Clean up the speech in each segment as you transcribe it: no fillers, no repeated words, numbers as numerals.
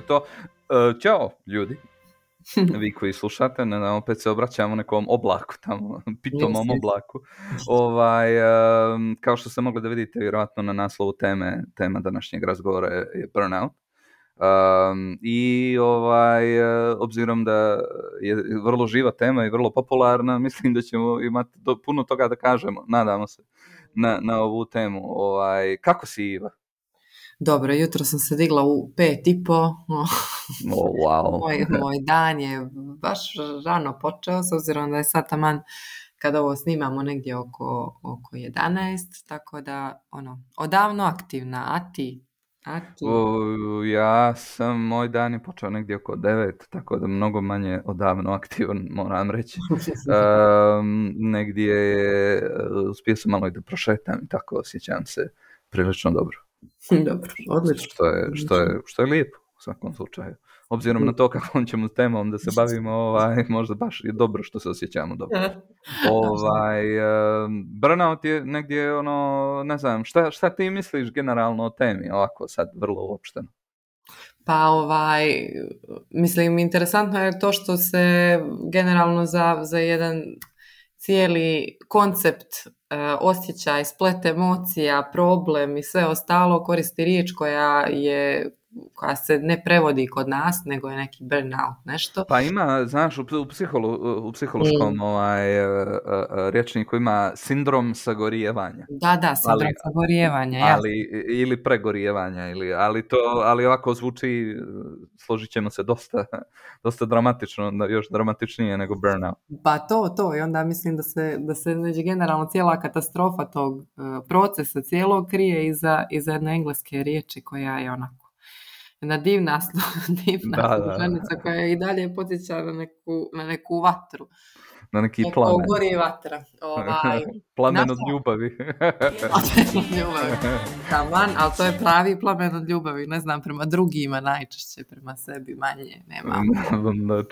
To. Ćao, ljudi. Vi koji slušate, opet se obraćamo nekom oblaku tamo, pitomom oblaku. Kao što ste mogli da vidite, vjerojatno na naslovu tema današnjeg razgovora je burnout. Obzirom da je vrlo živa tema i vrlo popularna, mislim da ćemo imati puno toga da kažemo, nadamo se, na ovu temu. Kako si, Iva? Dobro, jutro sam se digla u 5:30. Wow. Moj dan je baš rano počeo, s obzirom da je sad taman kada ovo snimamo negdje oko 11, tako da odavno aktivna. A ti? Moj dan je počeo negdje oko 9, tako da mnogo manje odavno aktivan, moram reći. Negdje uspio sam malo i da prošetam i tako osjećam se prilično dobro. Dobro, odlično. Što je lijepo u svakom slučaju. Obzirom na to kakvom ćemo s temom da se bavimo, možda baš je dobro što se osjećamo dobro. Burnout je negdje ne znam, šta ti misliš generalno o temi, ovako sad vrlo uopšteno? Pa mislim, interesantno je to što se generalno za jedan cijeli koncept, osjećaj, splet emocija, problem i sve ostalo koristi riječ koja se ne prevodi kod nas, nego je neki burnout, nešto. Pa ima, znaš, u psihološkom rječniku ima sindrom sagorijevanja. Da, sindrom sagorijevanja, ili pregorijevanja, ali ovako zvuči, složit ćemo se, dosta dramatično, još dramatičnije nego burnout. Pa to, i onda mislim da se generalno cijela katastrofa tog procesa cijelog krije iza jedne engleske riječi koja je onako jedna divna služenica koja i dalje podsjeća na neku vatru. Na neki plamen. Gori vatra. Plamen od ljubavi. Plamen od ljubavi. Taman, ali to je pravi plamen od ljubavi. Ne znam, prema drugima najčešće, prema sebi manje. Nema.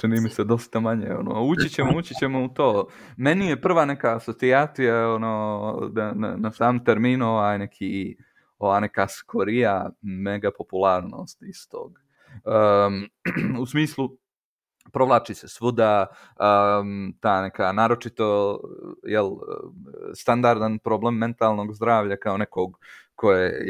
Čini mi se dosta manje. Ući ćemo u to. Meni je prva neka asocijacija na sam termin neka skorija mega popularnost iz tog. U smislu, provlači se svuda ta neka naročito standardan problem mentalnog zdravlja kao nekog koje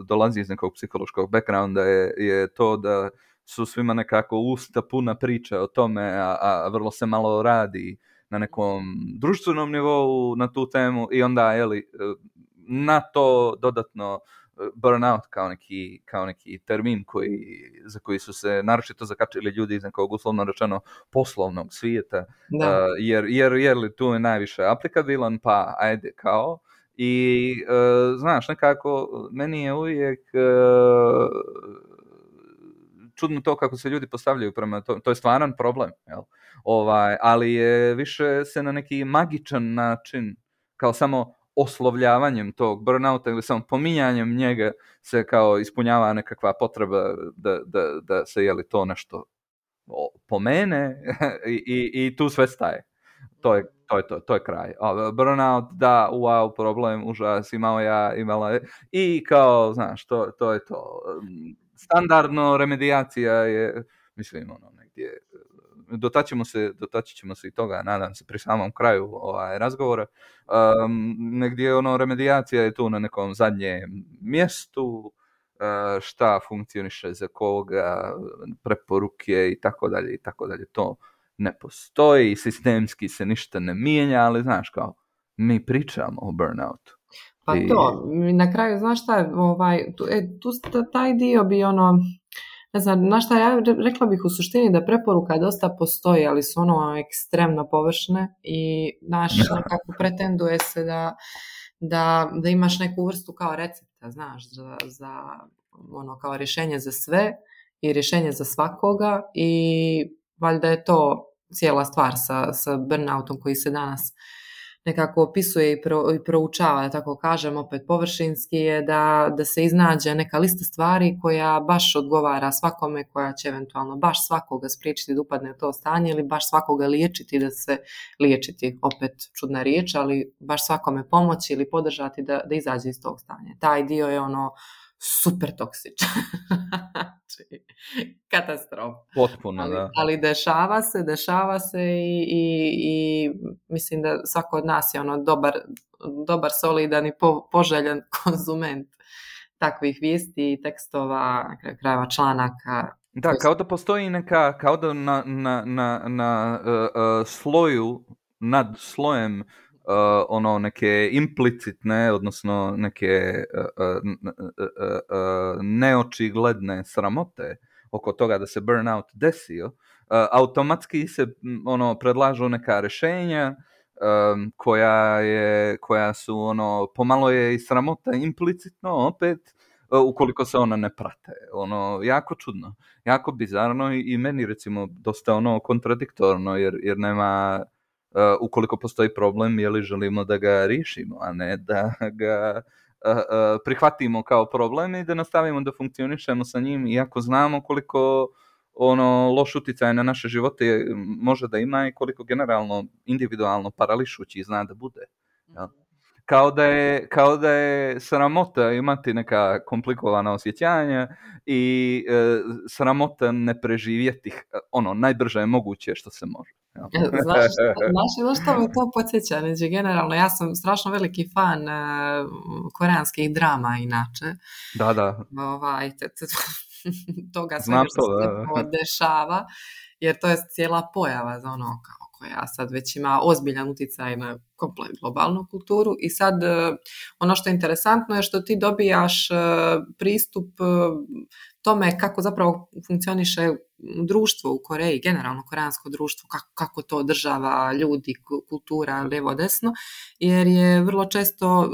dolazi iz nekog psihološkog backgrounda je to da su svima nekako usta puna priče o tome, a vrlo se malo radi na nekom društvenom nivou na tu temu i onda na to dodatno burnout kao neki termin za koji su se naročito zakačili ljudi iz nekog uslovno rečeno poslovnog svijeta, jer tu je najviše aplikabilan, pa ajde kao. I znaš, nekako meni je uvijek čudno to kako se ljudi postavljaju prema to je stvaran problem, jel? Ali je više se na neki magičan način, kao samo oslovljavanjem tog burnouta ili samo pominjanjem njega se kao ispunjava nekakva potreba da se to nešto pomene i tu sve staje. To je kraj. Burnout, da, wow, problem, užas, imala i kao, znaš, to je to. Standardno remedijacija je, mislim, negdje, dotaći ćemo se i toga, nadam se, pri samom kraju razgovora. Negdje remedijacija je tu na nekom zadnjem mjestu, šta funkcioniše za koga, preporuke i tako dalje. To ne postoji, sistemski se ništa ne mijenja, ali znaš, kao, mi pričamo o burnoutu. Pa to, na kraju, znaš šta, taj dio bi ne znam, na šta ja rekla bih u suštini da preporuka dosta postoji, ali su ekstremno površne i nekako pretenduje se da imaš neku vrstu kao recepta, znaš, za kao rješenje za sve i rješenje za svakoga i valjda je to cijela stvar sa burnoutom koji se danas nekako opisuje i proučava, da tako kažem, opet površinski je da se iznađe neka lista stvari koja baš odgovara svakome, koja će eventualno baš svakoga spriječiti da upadne u to stanje ili baš svakoga liječiti da se liječiti, opet čudna riječ, ali baš svakome pomoći ili podržati da izađe iz tog stanja. Taj dio je super toksičan. Znači, katastrofa. Potpuno, da. Ali dešava se i mislim da svako od nas je dobar, solidan i poželjan konzument takvih vijesti i tekstova, na kraju krajeva članaka. Da, kao da postoji neka, kao da na sloju, nad slojem neke implicitne, odnosno neke neočigledne sramote oko toga da se burnout desio, automatski se predlažu neka rješenja koja su pomalo je i sramota implicitno opet, ukoliko se ona ne prate. Jako čudno, jako bizarno i meni recimo dosta kontradiktorno jer nema, ukoliko postoji problem, je li želimo da ga riješimo, a ne da ga prihvatimo kao problem i da nastavimo da funkcionišemo sa njim, iako znamo koliko loš utjecaj na naše živote može da ima i koliko generalno, individualno parališući zna da bude. Ja? Kao da je sramota imati neka komplikovana osjećanja i sramota ne preživjeti najbrže je moguće što se može. Ja. Znaš što me to podsjeća? Znači, generalno, ja sam strašno veliki fan koreanskih drama inače. Da. Toga svega što se dešava, jer to je cijela pojava za koja sad već ima ozbiljan utjecaj na komplet globalnu kulturu. I sad ono što je interesantno je što ti dobijaš pristup tome kako zapravo funkcioniše društvo u Koreji, generalno koreansko društvo, kako to održava ljudi, kultura, lijevo desno, jer je vrlo često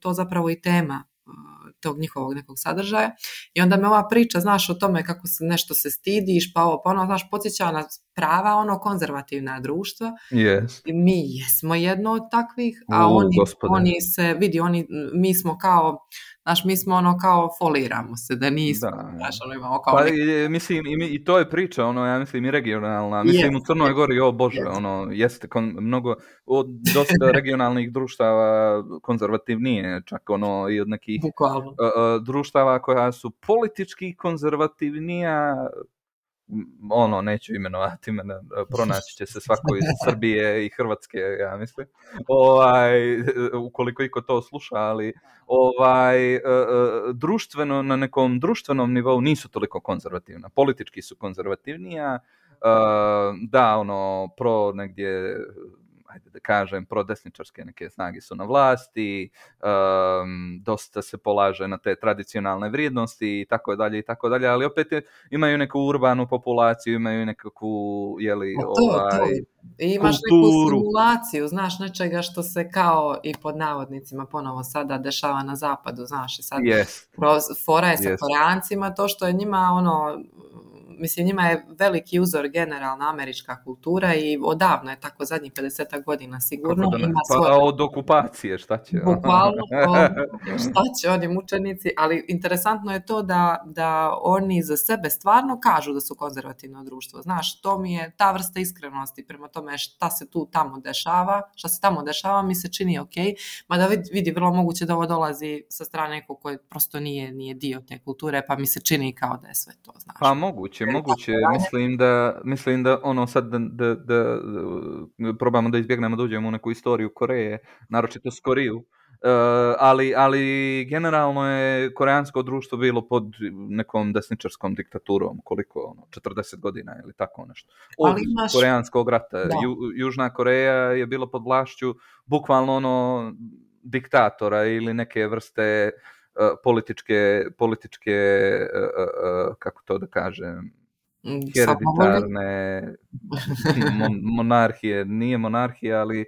to zapravo i tema tog njihovog nekog sadržaja. I onda me ova priča, znaš, o tome kako se nešto se stidiš, pa znaš, podsjeća na prava konzervativna društva. Yes. I mi jesmo jedno od takvih, a oni se, vidi, mi smo kao, znaš, mi smo kao foliramo se, da nismo, znaš, imamo kao... Pa, mislim, i to je priča, ja mislim, i regionalna. Mislim, u Crnoj Gori, Bože, jeste mnogo, dosta regionalnih društava konzervativnije, čak i od nekih društava koja su politički konzervativnija, neću imenovati, pronaći će se svako iz Srbije i Hrvatske, ja mislim, ukoliko iko to sluša, ali društveno, na nekom društvenom nivou nisu toliko konzervativna, politički su konzervativnija, da, pro negdje, ajde da kažem, prodesničarske neke snage su na vlasti, dosta se polaže na te tradicionalne vrijednosti i tako dalje, ali opet imaju neku urbanu populaciju, imaju nekakvu, I imaš neku simulaciju, znaš, nečega što se kao i pod navodnicima ponovo sada dešava na zapadu, znaš, i sad fora je sa Koreancima, to što je njima mislim, njima je veliki uzor generalna američka kultura i odavno je tako zadnjih 50 godina sigurno. Od okupacije, šta će? Bukvalno, šta će oni mučenici, ali interesantno je to da oni za sebe stvarno kažu da su konzervativno društvo. Znaš, to mi je ta vrsta iskrenosti prema tome šta se tamo dešava, mi se čini ok, mada vidi vrlo moguće da ovo dolazi sa strane nekog koji prosto nije dio te kulture, pa mi se čini kao da je sve to, znaš. Pa moguće, mislim da sad da probamo da izbjegnemo da uđemo u neku istoriju Koreje, naročito s Koriju, ali generalno je koreansko društvo bilo pod nekom desničarskom diktaturom, koliko, 40 godina ili tako nešto. Od koreanskog rata. Južna Koreja je bila pod vlašću bukvalno diktatora ili neke vrste političke kako to da kažem, hereditarne monarhije, nije monarhija, ali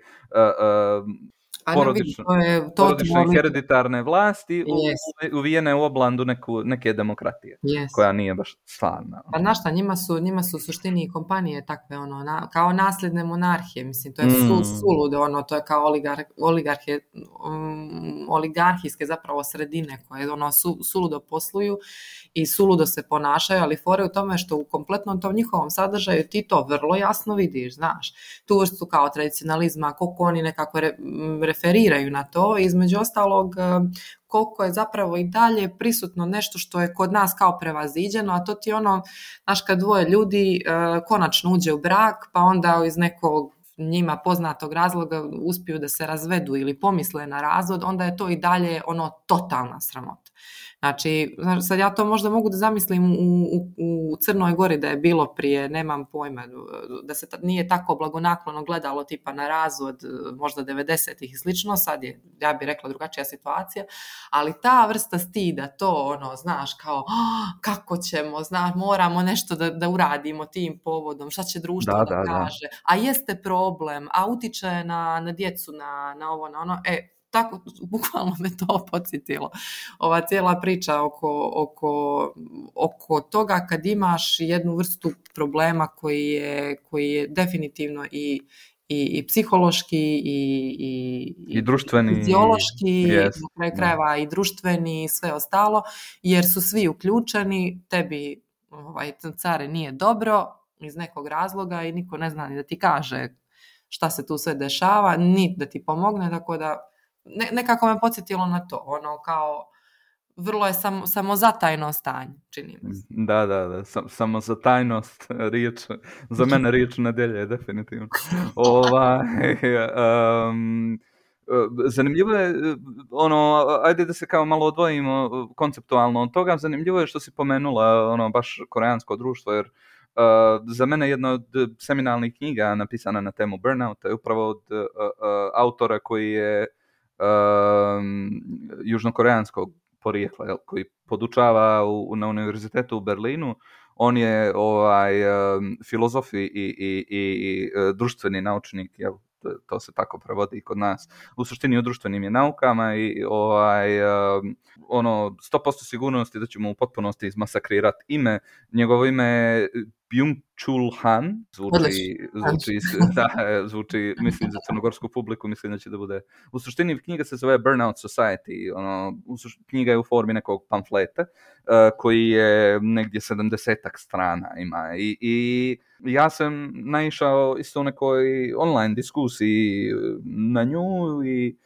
Pa ne vidi, to je porodične i totalno... hereditarne vlasti Yes. uvijene u oblandu neke demokratije, Yes. koja nije baš stvarna. Pa znaš šta, njima su u suštini i kompanije takve, kao nasljedne monarhije, mislim, to je suludo, to je kao oligarhijske zapravo sredine koje suludo posluju i suludo se ponašaju, ali fore u tome što u kompletnom tom njihovom sadržaju ti to vrlo jasno vidiš, znaš, tu vrstu kao tradicionalizma, koliko oni nekako referiraju na to, između ostalog koliko je zapravo i dalje prisutno nešto što je kod nas kao prevaziđeno, a to ti znaš, kad dvoje ljudi konačno uđe u brak, pa onda iz nekog njima poznatog razloga uspiju da se razvedu ili pomisle na razvod, onda je to i dalje totalna sramota. Znači, sad ja to možda mogu da zamislim u Crnoj Gori da je bilo prije, nemam pojma, da se nije tako blagonaklono gledalo tipa na razvod možda 90-ih i slično, sad je, ja bih rekla, drugačija situacija, ali ta vrsta stida, to znaš, kao kako ćemo, znaš, moramo nešto da uradimo tim povodom, šta će društvo da kaže, a jeste problem, a utiče na djecu, na ovo, na ono, tako, bukvalno me to podsjetilo. Ova cijela priča oko toga kad imaš jednu vrstu problema koji je definitivno i psihološki i društveni, fiziološki, na kraju krajeva i društveni i sve ostalo, jer su svi uključeni, tebi care nije dobro iz nekog razloga i niko ne zna ni da ti kaže šta se tu sve dešava, ni da ti pomogne, tako da nekako me podsjetilo na to, kao vrlo je samozatajno stanje, čini mi se. Da, samozatajnost, riječ, za mene riječ nedelje, definitivno. Zanimljivo je, ajde da se kao malo odvojimo konceptualno od toga, zanimljivo je što si pomenula baš koreansko društvo, jer za mene jedna od seminalnih knjiga napisana na temu burnouta je upravo od autora koji je južnokoreanskog porijekla, koji podučava na univerzitetu u Berlinu. On je filozof i društveni naučnik, jel? To se tako prevodi kod nas. U suštini o društvenim je naukama i 100% sigurnosti da ćemo u potpunosti izmasakrirati ime. Njegovo ime je Byung-Chul Han. Zvuči, mislim, za crnogorsku publiku, mislim da će da bude. U suštini knjiga se zove Burnout Society. Knjiga je u formi nekog pamfleta koji je negdje 70-ak strana ima. I ja sam naišao isto u nekoj online diskusiji na nju i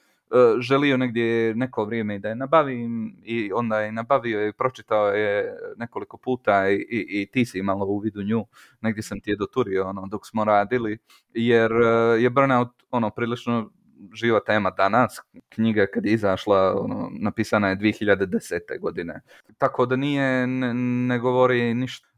želio negdje neko vrijeme da je nabavim i onda je nabavio i pročitao je nekoliko puta i ti si imala u vidu nju, negdje sam ti je doturio dok smo radili, jer je burnout prilično živa tema danas. Knjiga kad je izašla napisana je 2010. godine, tako da ne govori ništa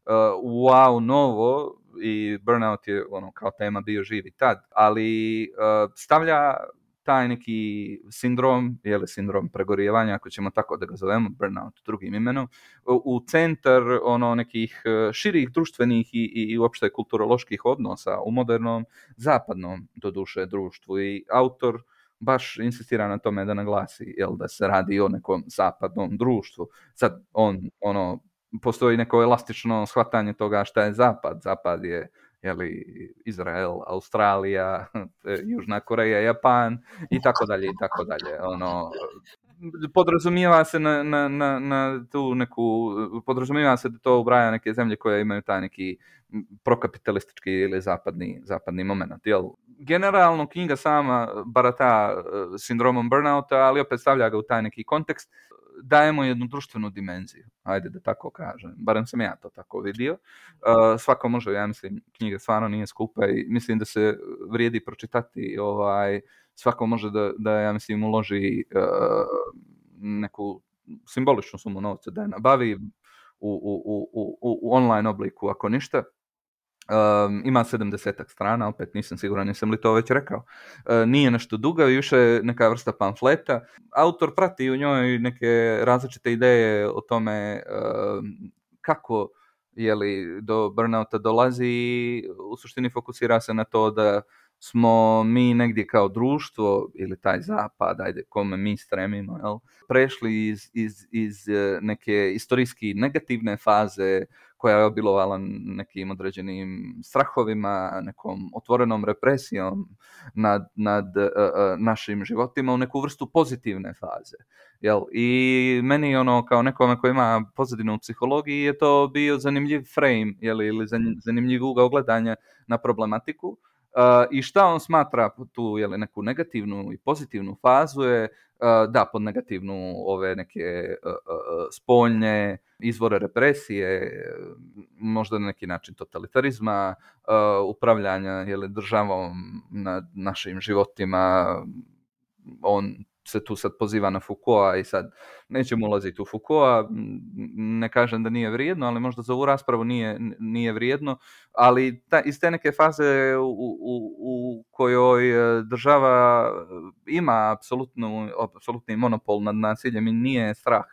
wow novo i burnout je kao tema bio živi tad, ali stavlja taj neki sindrom, sindrom pregorijevanja, ako ćemo tako da ga zovemo, burnout drugim imenom, u centar nekih širih društvenih i uopšte kulturoloških odnosa u modernom zapadnom doduše društvu. I autor baš insistira na tome da naglasi da se radi o nekom zapadnom društvu. Sad postoji neko elastično shvatanje toga šta je zapad. Zapad je Izrael, Australija, Južna Koreja, Japan i tako dalje i tako dalje. Podrazumijeva se na tu neku, podrazumijeva se da to ubraja neke zemlje koje imaju taj neki prokapitalistički ili zapadni moment. Generalno knjiga sama barata sindromom burnouta, ali opet stavlja ga u taj neki kontekst. Dajemo jednu društvenu dimenziju, ajde da tako kažem, barem sam ja to tako vidio. Svako može, ja mislim, knjiga stvarno nije skupa i mislim da se vrijedi pročitati, svako može da ja mislim uloži neku simboličnu sumu novca da je nabavi u online obliku, ako ništa. Ima 70-ak strana, opet nisam siguran, nisam li to već rekao. Nije nešto duga, više neka vrsta pamfleta. Autor prati u njoj neke različite ideje o tome kako do burnouta dolazi. U suštini fokusira se na to da smo mi negdje kao društvo ili taj zapad, ajde, kome mi stremimo, jel, prešli iz neke istorijski negativne faze koja je obilovala nekim određenim strahovima, nekom otvorenom represijom nad našim životima u neku vrstu pozitivne faze. Jel? I meni kao nekome koji ima pozadinu u psihologiji je to bio zanimljiv frame, ili zanimljiv ugao gledanja na problematiku. I šta on smatra tu neku negativnu i pozitivnu fazu je pod negativnu ove neke spoljne izvore represije, možda na neki način totalitarizma, upravljanja državom nad našim životima. On se tu sad poziva na Foucaulta i sad nećemo ulaziti u Foucaulta, ne kažem da nije vrijedno, ali možda za ovu raspravu nije vrijedno, ali iz te neke faze u kojoj država ima apsolutni monopol nad nasiljem i nije strah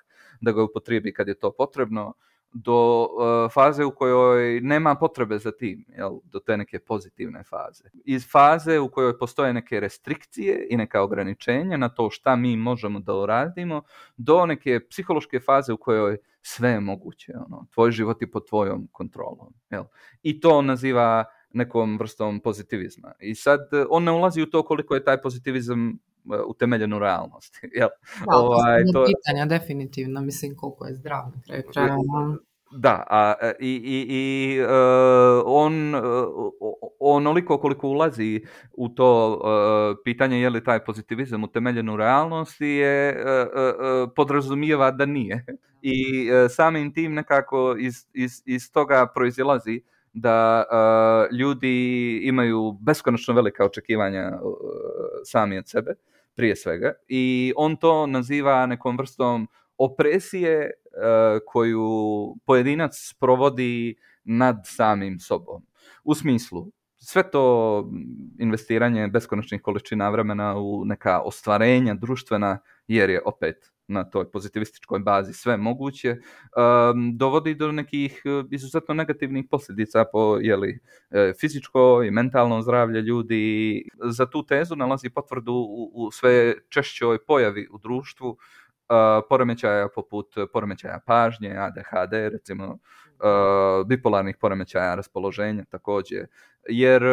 da ga upotrijebi kad je to potrebno, do faze u kojoj nema potrebe za tim, do te neke pozitivne faze. Iz faze u kojoj postoje neke restrikcije i neka ograničenja na to šta mi možemo da uradimo, do neke psihološke faze u kojoj sve je moguće. Tvoj život je pod tvojom kontrolom. I to naziva nekom vrstom pozitivizma. I sad on ne ulazi u to koliko je taj pozitivizam utemeljen u realnosti. To je pitanja definitivno, mislim koliko je zdrav na kraju kraja. Da, on onoliko koliko ulazi u to pitanje je li taj pozitivizam utemeljen u realnosti je podrazumijeva da nije. I samim tim nekako iz toga proizilazi da ljudi imaju beskonačno velika očekivanja sami od sebe, prije svega, i on to naziva nekom vrstom opresije koju pojedinac provodi nad samim sobom. U smislu, sve to investiranje beskonačnih količina vremena u neka ostvarenja društvena, jer je opet na toj pozitivističkoj bazi sve moguće, dovodi do nekih izuzetno negativnih posljedica po fizičko i mentalno zdravlje ljudi. Za tu tezu nalazi potvrdu u sve češćoj pojavi u društvu poremećaja poput poremećaja pažnje, ADHD, recimo bipolarnih poremećaja raspoloženja također, jer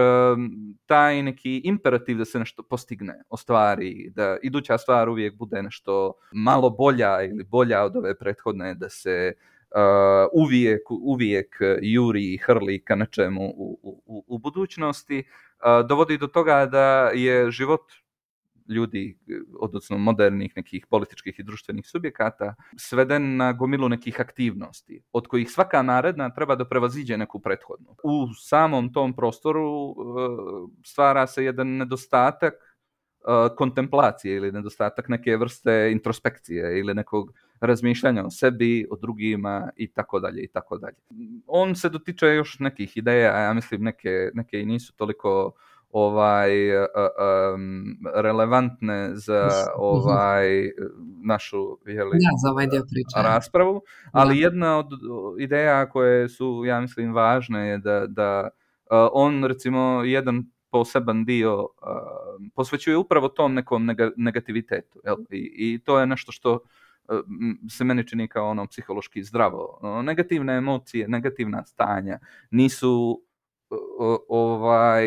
taj neki imperativ da se nešto postigne, ostvari, da iduća stvar uvijek bude nešto malo bolja ili bolja od ove prethodne, da se uvijek juri i hrli ka nečemu u budućnosti, dovodi do toga da je život ljudi, odnosno modernih nekih političkih i društvenih subjekata, sveden na gomilu nekih aktivnosti, od kojih svaka naredna treba da prevaziđe neku prethodnu. U samom tom prostoru stvara se jedan nedostatak kontemplacije ili nedostatak neke vrste introspekcije ili nekog razmišljanja o sebi, o drugima i tako dalje i tako dalje. On se dotiče još nekih ideja, a ja mislim neke i nisu toliko relevantne za našu za ovaj dio priče. Raspravu, ali jedna od ideja koje su, ja mislim, važne je da on, recimo, jedan poseban dio posvećuje upravo tom nekom negativitetu. I to je nešto što se meni čini kao psihološki zdravo. Negativne emocije, negativna stanja nisu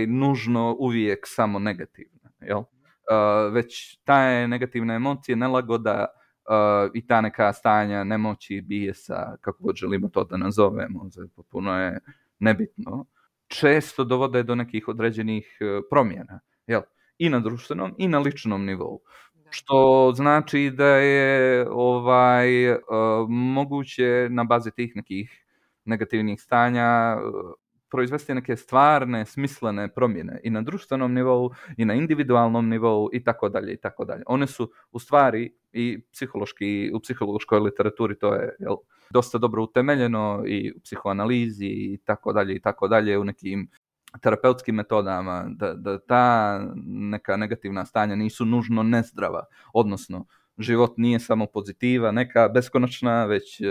nužno uvijek samo negativne, već ta negativna emocije, nelagoda i ta neka stanja nemoći, bijesa, kako god želimo to da nazovemo, potpuno je nebitno, često dovode do nekih određenih promjena, i na društvenom i na ličnom nivou. Što znači da je moguće na bazi tih nekih negativnih stanja proizvesti neke stvarne, smislene promjene i na društvenom nivou i na individualnom nivou i tako dalje i tako dalje. One su u stvari i u psihološkoj literaturi to je dosta dobro utemeljeno i u psihoanalizi i tako dalje u nekim terapeutskim metodama, da ta neka negativna stanja nisu nužno nezdrava, odnosno život nije samo pozitiva, neka beskonačna, već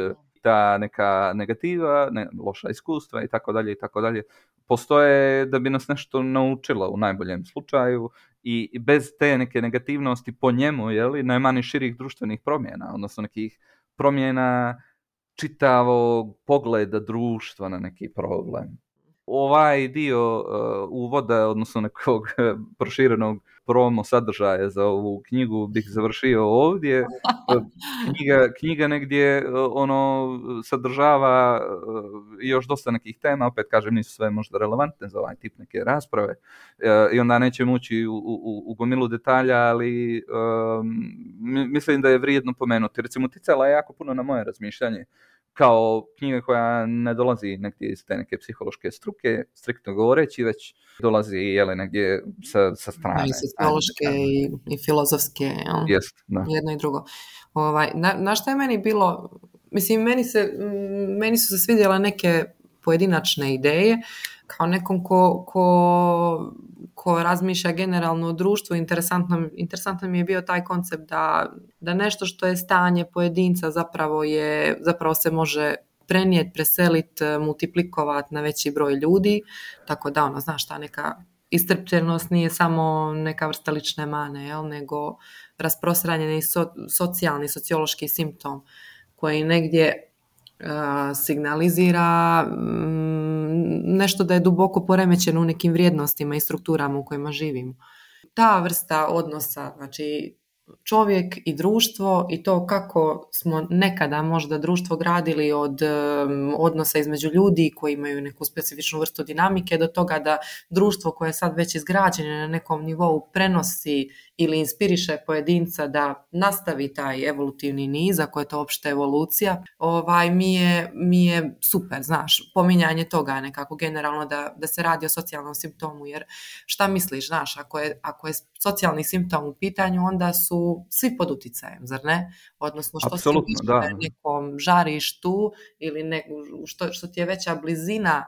ta neka negativa, loša iskustva i tako dalje, postoje da bi nas nešto naučilo u najboljem slučaju i bez te neke negativnosti po njemu, nema ni širih društvenih promjena, odnosno nekih promjena čitavog pogleda društva na neki problem. Ovaj dio uvoda, odnosno nekog proširenog promo sadržaja za ovu knjigu bih završio ovdje. Knjiga negdje sadržava još dosta nekih tema, opet kažem nisu sve možda relevantne za ovaj tip neke rasprave i onda nećemo ući u gomilu detalja, ali mislim da je vrijedno pomenuti. Recimo, uticala je jako puno na moje razmišljanje kao knjiga koja ne dolazi negdje iz te neke psihološke struke, striktno govoreći, već dolazi negdje sa strane. I sociološke i filozofske. Jest, da. Jedno i drugo. Na šta je meni bilo, mislim, meni su se svidjela neke pojedinačne ideje, kao nekom ko razmišlja generalno o društvu. Interesantno mi je bio taj koncept da nešto što je stanje pojedinca zapravo se može prenijeti, preseliti, multiplikovati na veći broj ljudi, tako da znaš, ta neka iscrpljenost nije samo neka vrsta lične mane, nego rasprostranjeni socijalni, sociološki simptom koji negdje signalizira nešto da je duboko poremećeno u nekim vrijednostima i strukturama u kojima živimo. Ta vrsta odnosa, znači čovjek i društvo i to kako smo nekada možda društvo gradili od odnosa između ljudi koji imaju neku specifičnu vrstu dinamike do toga da društvo koje je sad već izgrađeno na nekom nivou prenosi ili inspiriše pojedinca da nastavi taj evolutivni niz, ako je to opšte evolucija, mi je super, znaš, pominjanje toga nekako generalno da se radi o socijalnom simptomu, jer šta misliš, znaš, ako je socijalni simptom u pitanju, onda su svi pod uticajem, zar ne? Odnosno što si više nekom žarištu ili što ti je veća blizina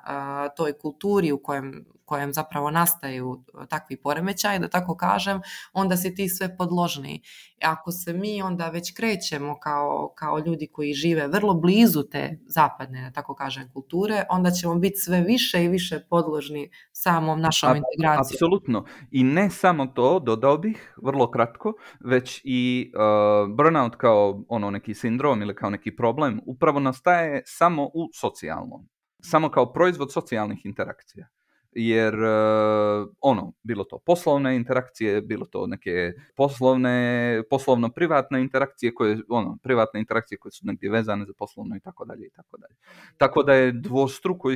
toj kulturi u kojem zapravo nastaju takvi poremećaji, da tako kažem, onda si ti sve podložniji. Ako se mi onda već krećemo kao ljudi koji žive vrlo blizu te zapadne, da tako kažem, kulture, onda ćemo biti sve više i više podložni samom našom integracijom. Apsolutno. I ne samo to, dodao bih, vrlo kratko, već i burnout kao neki sindrom ili kao neki problem upravo nastaje samo u socijalnom. Samo kao proizvod socijalnih interakcija. Jer bilo to poslovne interakcije, bilo to neke poslovno-privatne interakcije privatne interakcije koje su negdje vezane za poslovno i tako dalje. Tako da je dvostruko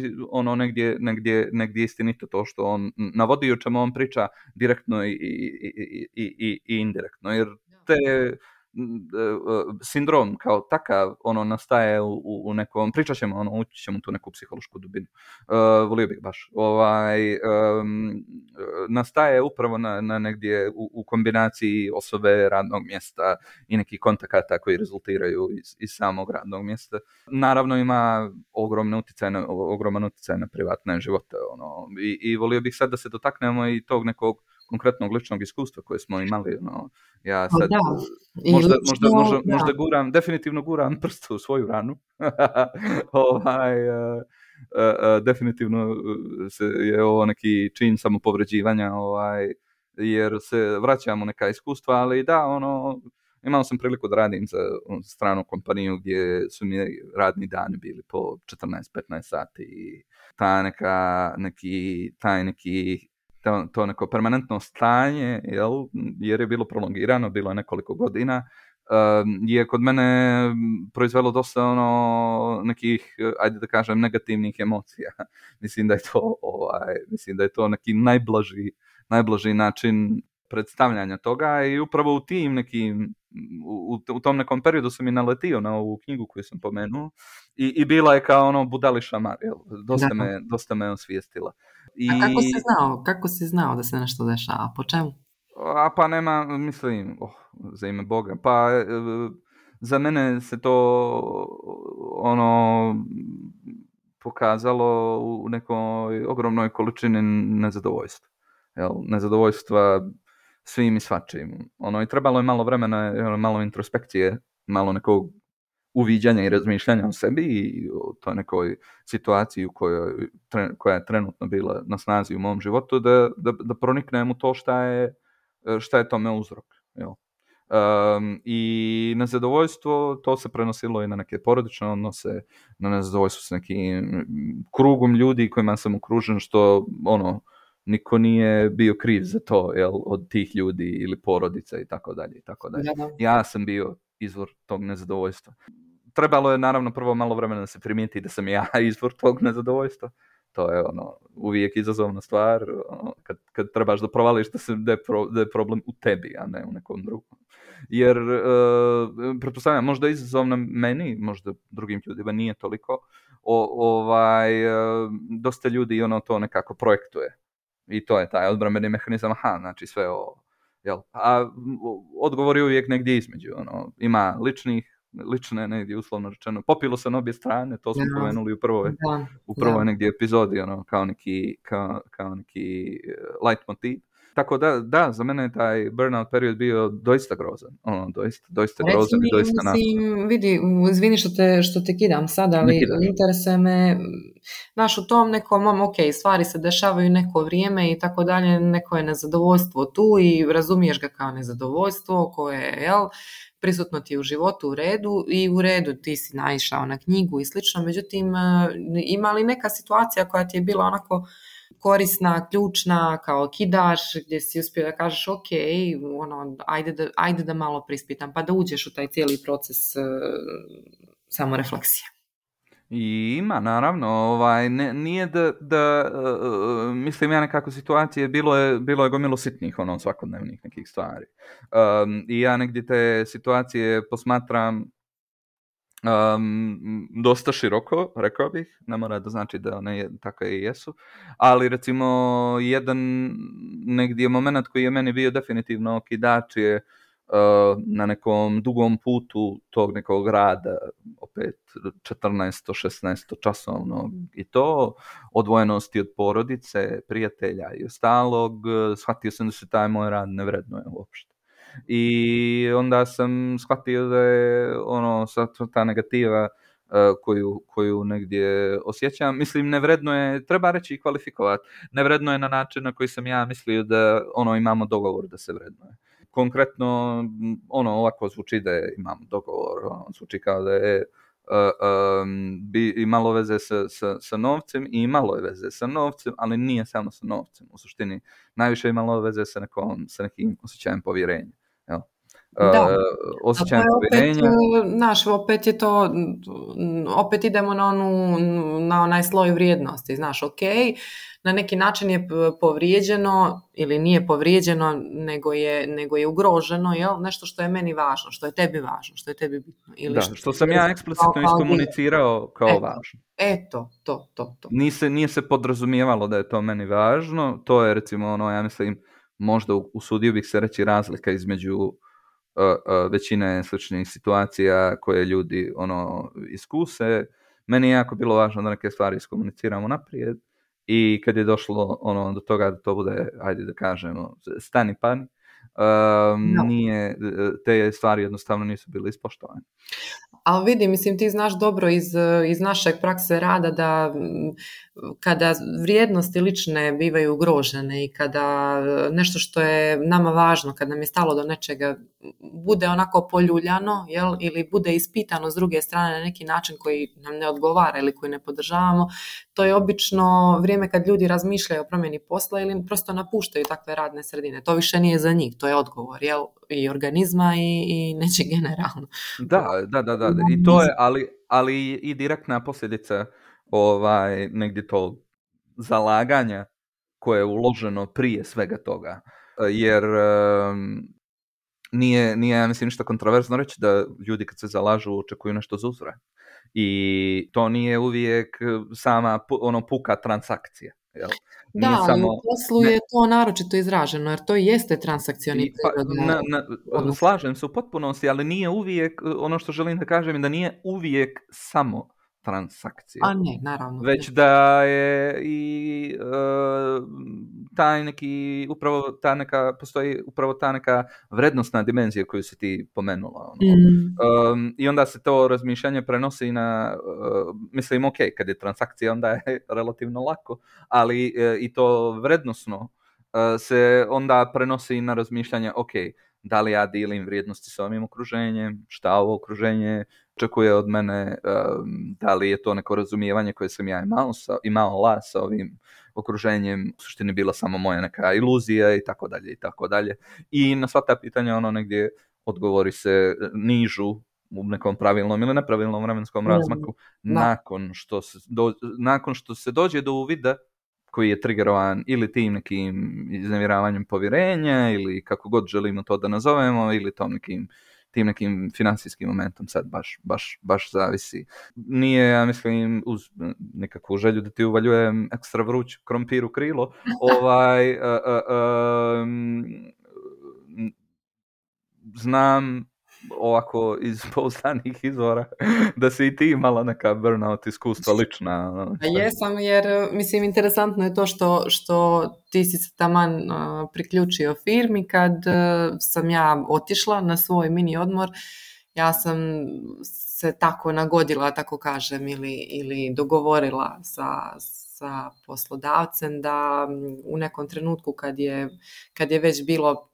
negdje istinito to što on navodi, o čemu on priča direktno i indirektno, jer te sindrom kao takav nastaje u nekom, pričat ćemo, ući ćemo tu neku psihološku dubinu. Volio bih baš. Nastaje upravo na negdje u kombinaciji osobe, radnog mjesta i nekih kontakata koji rezultiraju iz samog radnog mjesta. Naravno ima ogroman utjecaj na privatne živote. I volio bih sad da se dotaknemo i tog nekog konkretnog ličnog iskustva koje smo imali. Ja sad možda guram, definitivno guram prst u svoju ranu. Definitivno je ovo neki čin samopovređivanja, jer se vraćamo neka iskustva, ali da, imao sam priliku da radim za stranu kompaniju gdje su mi radni dani bili po 14-15 sati i to neko permanentno stanje, jer je bilo prolongirano, bilo je nekoliko godina, je kod mene proizvelo dosta nekih, ajde da kažem, negativnih emocija. Mislim da je to neki najblaži način predstavljanja toga i upravo u tim nekim, u tom nekom periodu sam i naletio na ovu knjigu koju sam pomenuo i bila je kao budali šamar, dosta me osvijestila. A kako si znao da se nešto dešava? Po čemu? Pa nema, mislim, za ime Boga, pa za mene se to pokazalo u nekoj ogromnoj količini nezadovoljstva. Nezadovoljstva svim i svačim. I trebalo je malo vremena, malo introspekcije, malo nekog uviđanja i razmišljanja o sebi i o toj nekoj situaciji koja je trenutno bila na snazi u mom životu, da proniknem u to šta je tome uzrok. Jel? I nezadovoljstvo, to se prenosilo i na neke porodične odnose, na nezadovoljstvo s nekim krugom ljudi kojima sam okružen, što niko nije bio kriv za to, jel, od tih ljudi ili porodica i tako dalje. Ja sam bio izvor tog nezadovoljstva. Trebalo je naravno prvo malo vremena da se primijeti da sam ja izvor tog nezadovoljstva. To je uvijek izazovna stvar, kad trebaš da provališ da je problem u tebi, a ne u nekom drugom. Jer, pretpostavljam, možda izazovna meni, možda drugim ljudima nije toliko, dosta ljudi to nekako projektuje. I to je taj odbrambeni mehanizam, znači sve jel? A odgovor je uvijek negdje između, ima lične negdje uslovno rečeno, popilo se na obje strane, to smo pomenuli u prvoj negdje epizodi, kao neki leitmotiv. Tako da, za mene je taj burnout period bio doista grozan. Doista grozan i doista nastavno. Vidi, izvini što te kidam sada, ali interesuje me, znaš, u tom nekom, stvari se dešavaju neko vrijeme i tako dalje, neko je nezadovoljstvo tu i razumiješ ga kao nezadovoljstvo koje je, prisutno ti je u životu u redu ti si naišao na knjigu i slično, međutim, ima li neka situacija koja ti je bila onako korisna, ključna, kao kidaš, gdje si uspio da kažeš ajde da malo prispitam, pa da uđeš u taj cijeli proces samorefleksije. I ima, naravno, nije da mislim ja nekako situacije, bilo je gomilo sitnih, svakodnevnih nekih stvari. I ja negdje te situacije posmatram dosta široko, rekao bih, ne mora da znači da one takve i jesu, ali recimo jedan negdje moment koji je meni bio definitivno okidač je na nekom dugom putu tog nekog rada, opet 14-16 časovnog, i to odvojenosti od porodice, prijatelja i ostalog, shvatio sam da se taj moj rad ne vrednuje uopšte. I onda sam shvatio da je ta negativa koju negdje osjećam, mislim, nevredno je, treba reći i kvalifikovati, nevredno je na način na koji sam ja mislio da imamo dogovor da se vrednuje. Konkretno, ovako zvuči da imamo dogovor, zvuči kao da je imalo veze sa novcem i imalo je veze sa novcem, ali nije samo sa novcem. U suštini, najviše imalo veze sa nekim osjećajem povjerenja. Jel? Osjećajem povjerenja. Opet je to, opet idemo na onaj sloj vrijednosti, na neki način je povrijeđeno ili nije povrijeđeno, nego je ugroženo, nešto što je meni važno, što je tebi važno, što je tebi bitno. Ili što sam ja eksplicitno iskomunicirao kao važno. To. Nije se podrazumijevalo da je to meni važno, to je recimo, ja mislim, možda usudio bih se reći razlika između većine sličnih situacija koje ljudi iskuse. Meni je jako bilo važno da neke stvari iskomuniciramo naprijed i kad je došlo do toga da to bude, ajde da kažemo, stani pani, te stvari jednostavno nisu bile ispoštovane. Ali vidi, mislim, ti znaš dobro iz naše prakse rada da kada vrijednosti lične bivaju ugrožene i kada nešto što je nama važno, kad nam je stalo do nečega, bude onako poljuljano, ili bude ispitano s druge strane na neki način koji nam ne odgovara ili koji ne podržavamo, to je obično vrijeme kad ljudi razmišljaju o promjeni posla ili prosto napuštaju takve radne sredine. To više nije za njih, to je odgovor, i organizma i neće generalno. Da. I to je, ali i direktna posljedica negdje to zalaganja koje je uloženo prije svega toga. Jer nije ja mislim ništa kontroverzno reći da ljudi kad se zalažu očekuju nešto za uzvrat. I to nije uvijek sama puka transakcija. Jel? Da, ali u poslu je to naročito izraženo, jer to jeste transakcioni prirod. Slažem se u potpunosti, ali nije uvijek, ono što želim da kažem je da nije uvijek samo transakcija. A ne, naravno. Već da je i taj neki, upravo ta neka, postoji upravo ta neka vrednostna dimenzija koju si ti pomenula. I onda se to razmišljanje prenosi na, mislim, ok, kad je transakcija, onda je relativno lako, ali i to vrednosno se onda prenosi na razmišljanje, ok, da li ja dijelim vrijednosti s ovim okruženjem, šta ovo okruženje očekuje od mene, da li je to neko razumijevanje koje sam ja imala sa ovim okruženjem, u suštini bila samo moja neka iluzija i tako dalje i tako dalje. I na sva ta pitanja negdje odgovori se nižu u nekom pravilnom ili nepravilnom vremenskom razmaku nakon što se dođe do uvida koji je triggerovan ili tim nekim iznevjeravanjem povjerenja ili kako god želimo to da nazovemo ili tim nekim financijskim momentom, sad baš zavisi. Nije, ja mislim, uz nekakvu želju da ti uvaljujem ekstra vruć krompir u krilo, znam ovako iz pouzdanih izvora da si i ti imala neka burnout iskustva lična. Jesam, jer mislim interesantno je to što ti si se taman priključio firmi kad sam ja otišla na svoj mini odmor. Ja sam se tako nagodila, tako kažem, ili dogovorila sa poslodavcem da u nekom trenutku kad je već bilo,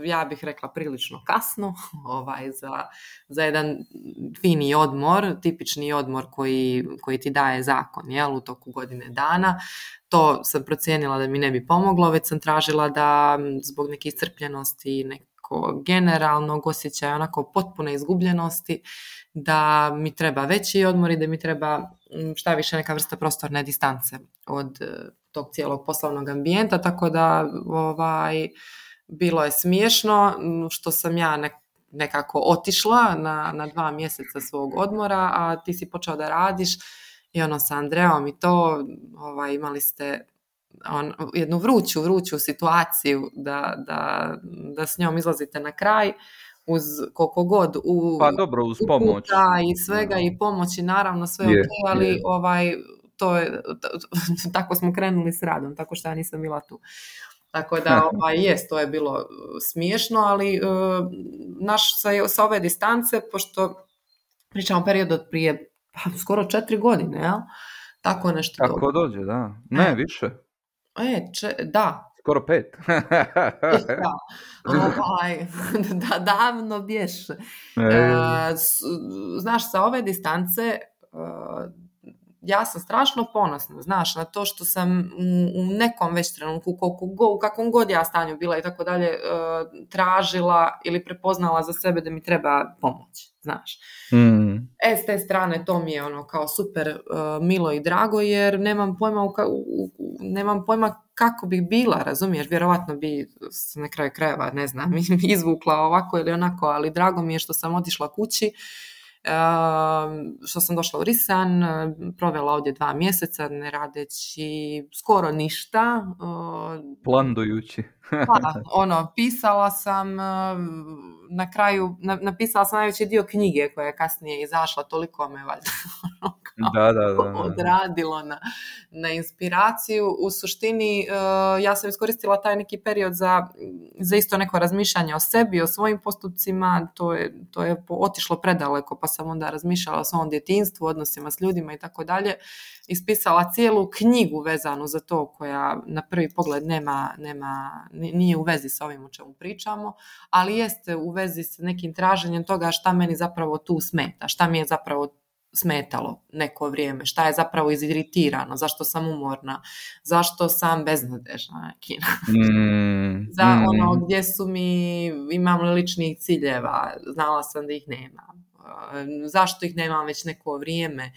ja bih rekla, prilično kasno za jedan fini odmor, tipični odmor koji ti daje zakon, u toku godine dana. To sam procijenila da mi ne bi pomoglo, već sam tražila da zbog neke iscrpljenosti i nekog generalnog osjećaja onako potpune izgubljenosti, da mi treba veći odmor i da mi treba šta više neka vrsta prostorne distance od tog cijelog poslovnog ambijenta, tako da bilo je smiješno što sam ja nekako otišla na 2 mjeseca svog odmora, a ti si počeo da radiš i sa Andreom i to imali ste jednu vruću situaciju da s njom izlazite na kraj uz koliko god uz pomoć i svega i pomoći, naravno sve ali to je, tako smo krenuli s radom, tako što ja nisam bila tu. Tako da, to je bilo smiješno, ali sa ove distance, pošto pričamo period od prije skoro 4 godine, jel? Tako nešto. Tako dođe, da. Ne, više. Da. Skoro 5. Da, davno bješe. Znaš, sa ove distance ja sam strašno ponosna, znaš, na to što sam u nekom već trenutku, u kakvom god ja stanju bila i tako dalje, tražila ili prepoznala za sebe da mi treba pomoć, znaš. S te strane to mi je kao super milo i drago, jer nemam pojma kako bih bila, razumiješ, vjerovatno bi se na kraju krajeva, ne znam, izvukla ovako ili onako, ali drago mi je što sam otišla kući, što sam došla u Risan, provela ovdje 2 mjeseca ne radeći skoro ništa. Plandujući. Pisala sam na kraju, napisala sam najveći dio knjige koja je kasnije izašla, toliko me valjda odradilo na inspiraciju. U suštini ja sam iskoristila taj neki period za isto neko razmišljanje o sebi, o svojim postupcima, to je otišlo predaleko, pa sam onda razmišljala o svom djetinjstvu, odnosima s ljudima i tako dalje. Ispisala cijelu knjigu vezanu za to, koja na prvi pogled nije u vezi sa ovim o čemu pričamo, ali jeste u vezi s nekim traženjem toga šta meni zapravo tu smeta, šta mi je zapravo smetalo neko vrijeme, šta je zapravo iziritirano, zašto sam umorna, zašto sam beznadežna, za gdje su mi, imam li ličnih ciljeva, znala sam da ih nemam. Zašto ih nemam već neko vrijeme,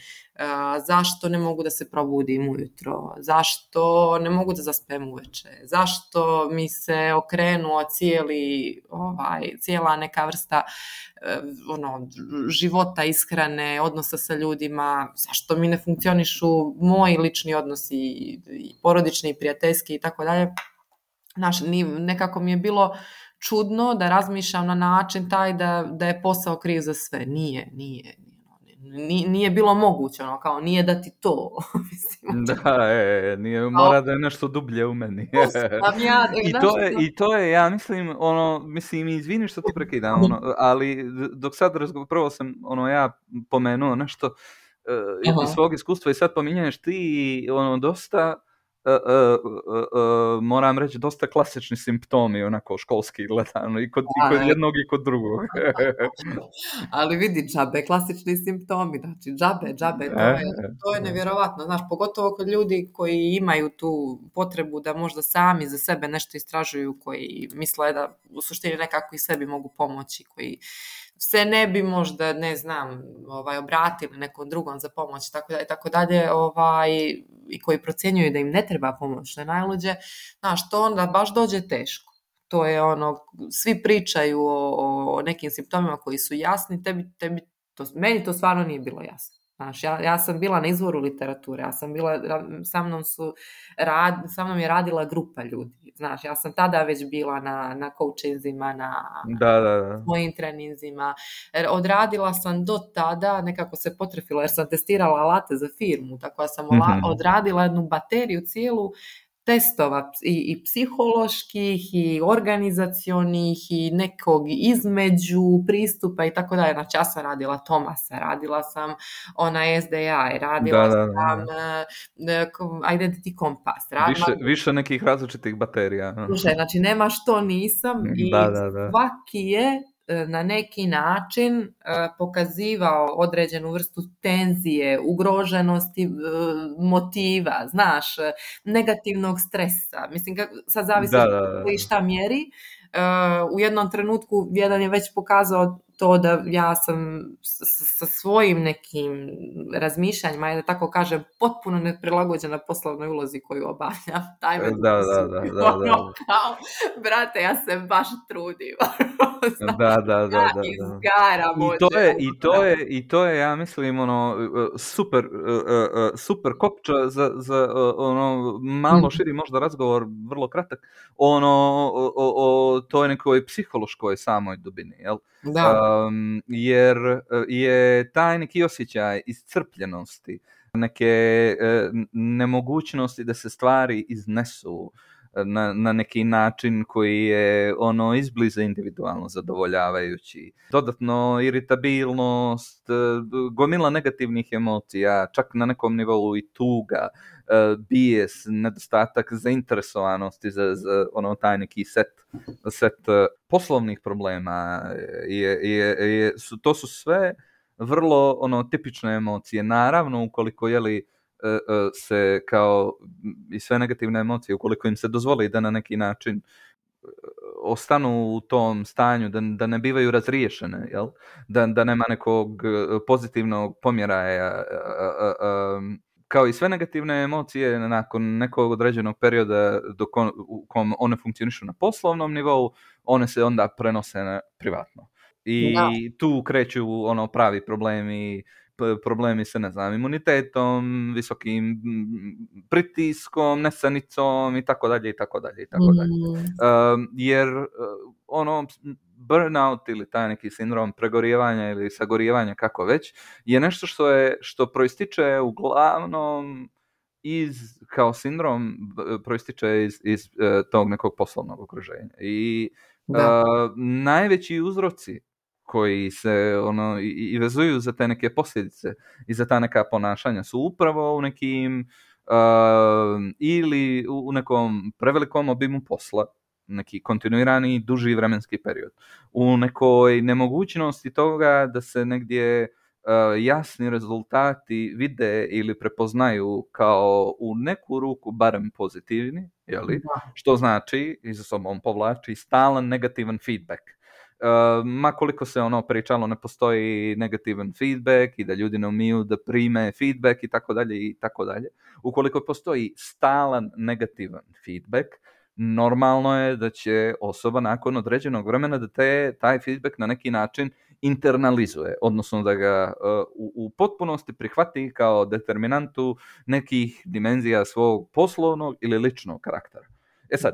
zašto ne mogu da se probudim ujutro, zašto ne mogu da zaspem uveče, zašto mi se okrenuo cijela neka vrsta života, ishrane, odnosa sa ljudima, zašto mi ne funkcionišu moji lični odnosi, i porodični, i prijateljski i tako dalje. Nekako mi je bilo čudno da razmišljam na način taj da je posao kriv za sve. Nije. Nije bilo moguće, ono, kao nije da ti to. Mislim, Da, nije, mora da je nešto dublje u meni. I to je, ja mislim, mislim, izvini što ti prekidam, ali dok sad prvo sam, ja pomenuo nešto iz svog iskustva i sad pominješ ti, dosta, moram reći, dosta klasični simptomi, onako, školski gledano, i kod jednog i kod drugog. Ali vidi, džabe, klasični simptomi, znači džabe, to je nevjerovatno, znaš, pogotovo kod ljudi koji imaju tu potrebu da možda sami za sebe nešto istražuju, koji misle da u suštini nekako i sebi mogu pomoći, koji se ne bi možda, ne znam, obratili nekom drugom za pomoć, tako dalje, i koji procjenjuju da im ne treba pomoć, što je najluđe, znaš, to onda baš dođe teško. To je svi pričaju o nekim simptomima koji su jasni, meni to stvarno nije bilo jasno. Znaš, ja sam bila na izvoru literature, sa mnom je radila grupa ljudi. Znaš, ja sam tada već bila na coachinzima, na svojim treninzima. Odradila sam do tada, nekako se potrefila jer sam testirala alate za firmu, tako da sam odradila jednu bateriju cijelu testova i psiholoških i organizacionih i nekog između pristupa i tako dalje. Znači, ja sam radila Thomasa, radila sam SDI, radila sam Identity Compass. Više nekih različitih baterija. Slušaj, znači, nema što nisam i svaki je na neki način pokazivao određenu vrstu tenzije, ugroženosti motiva, znaš, negativnog stresa. Mislim, sad zavisi koji šta mjeri. U jednom trenutku jedan je već pokazao to da ja sam sa svojim nekim razmišljanjima, da tako kažem, potpuno neprilagođena poslovnoj ulozi koju obavljam. Da. Kao, brate, ja se baš trudim. Da. I to je, ja mislim, super kopča za malo širi možda razgovor, vrlo kratak, o toj nekoj psihološkoj samoj dubini, jel? Jer je taj neki osjećaj iscrpljenosti, neke nemogućnosti da se stvari iznesu na neki način koji je izbliza individualno zadovoljavajući. Dodatno iritabilnost, gomila negativnih emocija, čak na nekom nivou i tuga, bijes, nedostatak zainteresovanosti za taj neki set poslovnih problema. To su sve vrlo tipične emocije. Naravno, ukoliko se kao i sve negativne emocije, ukoliko im se dozvoli da na neki način ostanu u tom stanju, da ne bivaju razriješene, jel? Da nema nekog pozitivnog pomjeraja, kao i sve negativne emocije, nakon nekog određenog perioda u kom one funkcionišu na poslovnom nivou, one se onda prenose na privatno. I tu kreću pravi problemi sa, ne znam, imunitetom, visokim pritiskom, nesanicom i tako dalje. Jer burnout ili taj neki sindrom pregorijevanja ili sagorijevanja, kako već, je nešto što proističe uglavnom kao sindrom proističe iz tog nekog poslovnog okruženja. I najveći uzroci koji se i vezuju za te neke posljedice i za ta neka ponašanja su upravo u nekim ili u nekom prevelikom obimu posla, neki kontinuirani duži vremenski period, u nekoj nemogućnosti toga da se negdje jasni rezultati vide ili prepoznaju kao u neku ruku barem pozitivni, jeli? Što znači, i za sobom povlači stalan negativan feedback. Ma koliko se pričalo, ne postoji negativan feedback i da ljudi ne umiju da prime feedback i tako dalje. Ukoliko postoji stalan negativan feedback, normalno je da će osoba nakon određenog vremena da taj feedback na neki način internalizuje, odnosno da ga u potpunosti prihvati kao determinantu nekih dimenzija svog poslovnog ili ličnog karaktera. Sad,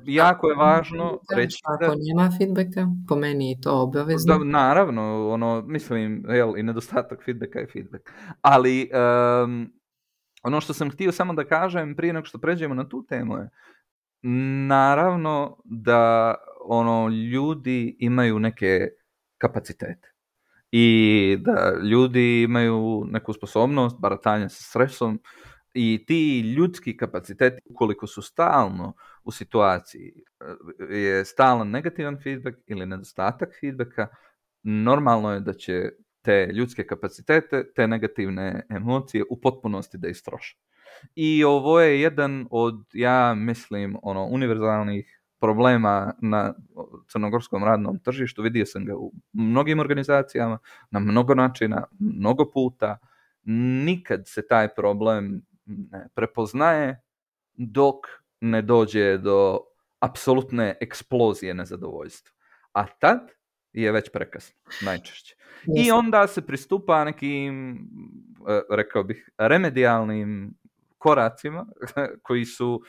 jako je važno reći ako nema feedbacka, po meni je to obavezno. Da, naravno, mislim, i nedostatak feedbacka je feedback. Ali ono što sam htio samo da kažem prije nego što pređemo na tu temu je, naravno da ljudi imaju neke kapacitete i da ljudi imaju neku sposobnost baratanja sa stresom i ti ljudski kapaciteti, ukoliko su stalno u situaciji je stalan negativan feedback ili nedostatak feedbacka, normalno je da će te ljudske kapacitete, te negativne emocije u potpunosti da istroše. I ovo je jedan od, ja mislim, univerzalnih problema na crnogorskom radnom tržištu. Vidio sam ga u mnogim organizacijama, na mnogo načina, mnogo puta. Nikad se taj problem ne prepoznaje dok ne dođe do apsolutne eksplozije nezadovoljstva. A tad je već prekasno, najčešće. I onda se pristupa nekim, rekao bih, remedijalnim koracima koji su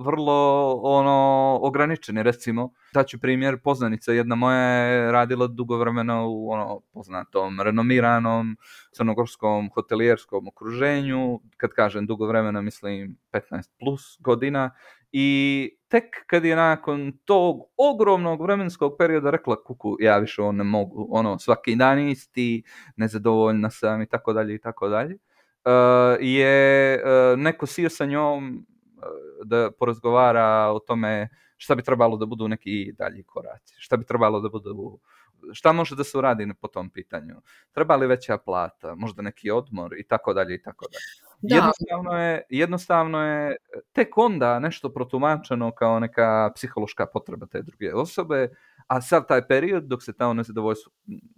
vrlo ograničeni. Recimo, daću primjer, poznanica jedna moja je radila dugo vremena u poznatom, renomiranom crnogorskom hotelijerskom okruženju. Kad kažem dugo vremena, mislim 15 plus godina. I tek kad je nakon tog ogromnog vremenskog perioda rekla, kuku, ja više ne mogu, svaki dan isti, nezadovoljna sam i tako dalje, je neko sio sa njom da porazgovara o tome šta bi trebalo da budu neki dalji koraci, šta bi trebalo da budu, šta može da se uradi po tom pitanju, treba li veća plata, možda neki odmor i tako dalje. Jednostavno je tek onda nešto protumačeno kao neka psihološka potreba te druge osobe, a sav taj period dok se to nezadovoljstvo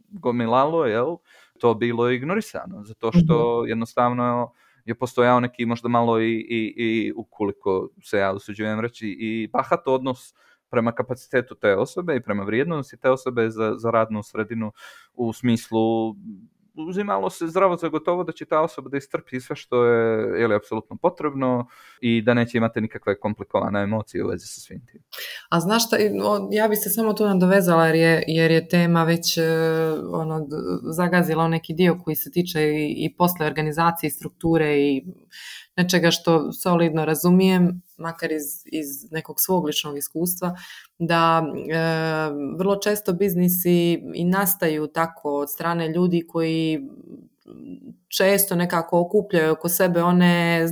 gomilalo, to bilo ignorisano, zato što jednostavno je postojao neki možda malo i ukoliko se ja usuđujem reći i bahat odnos prema kapacitetu te osobe i prema vrijednosti te osobe za radnu sredinu, u smislu uzimalo se zdravo za gotovo da će ta osoba da istrpi sve što je apsolutno potrebno i da neće imati nikakve komplikovane emocije u vezi sa svim tim. A znaš šta, ja bi se samo tu nadovezala jer je tema već zagazila neki dio koji se tiče i posle organizacije, strukture i nečega što solidno razumijem, makar iz nekog svog ličnog iskustva, da vrlo često biznisi i nastaju tako od strane ljudi koji često nekako okupljaju oko sebe one,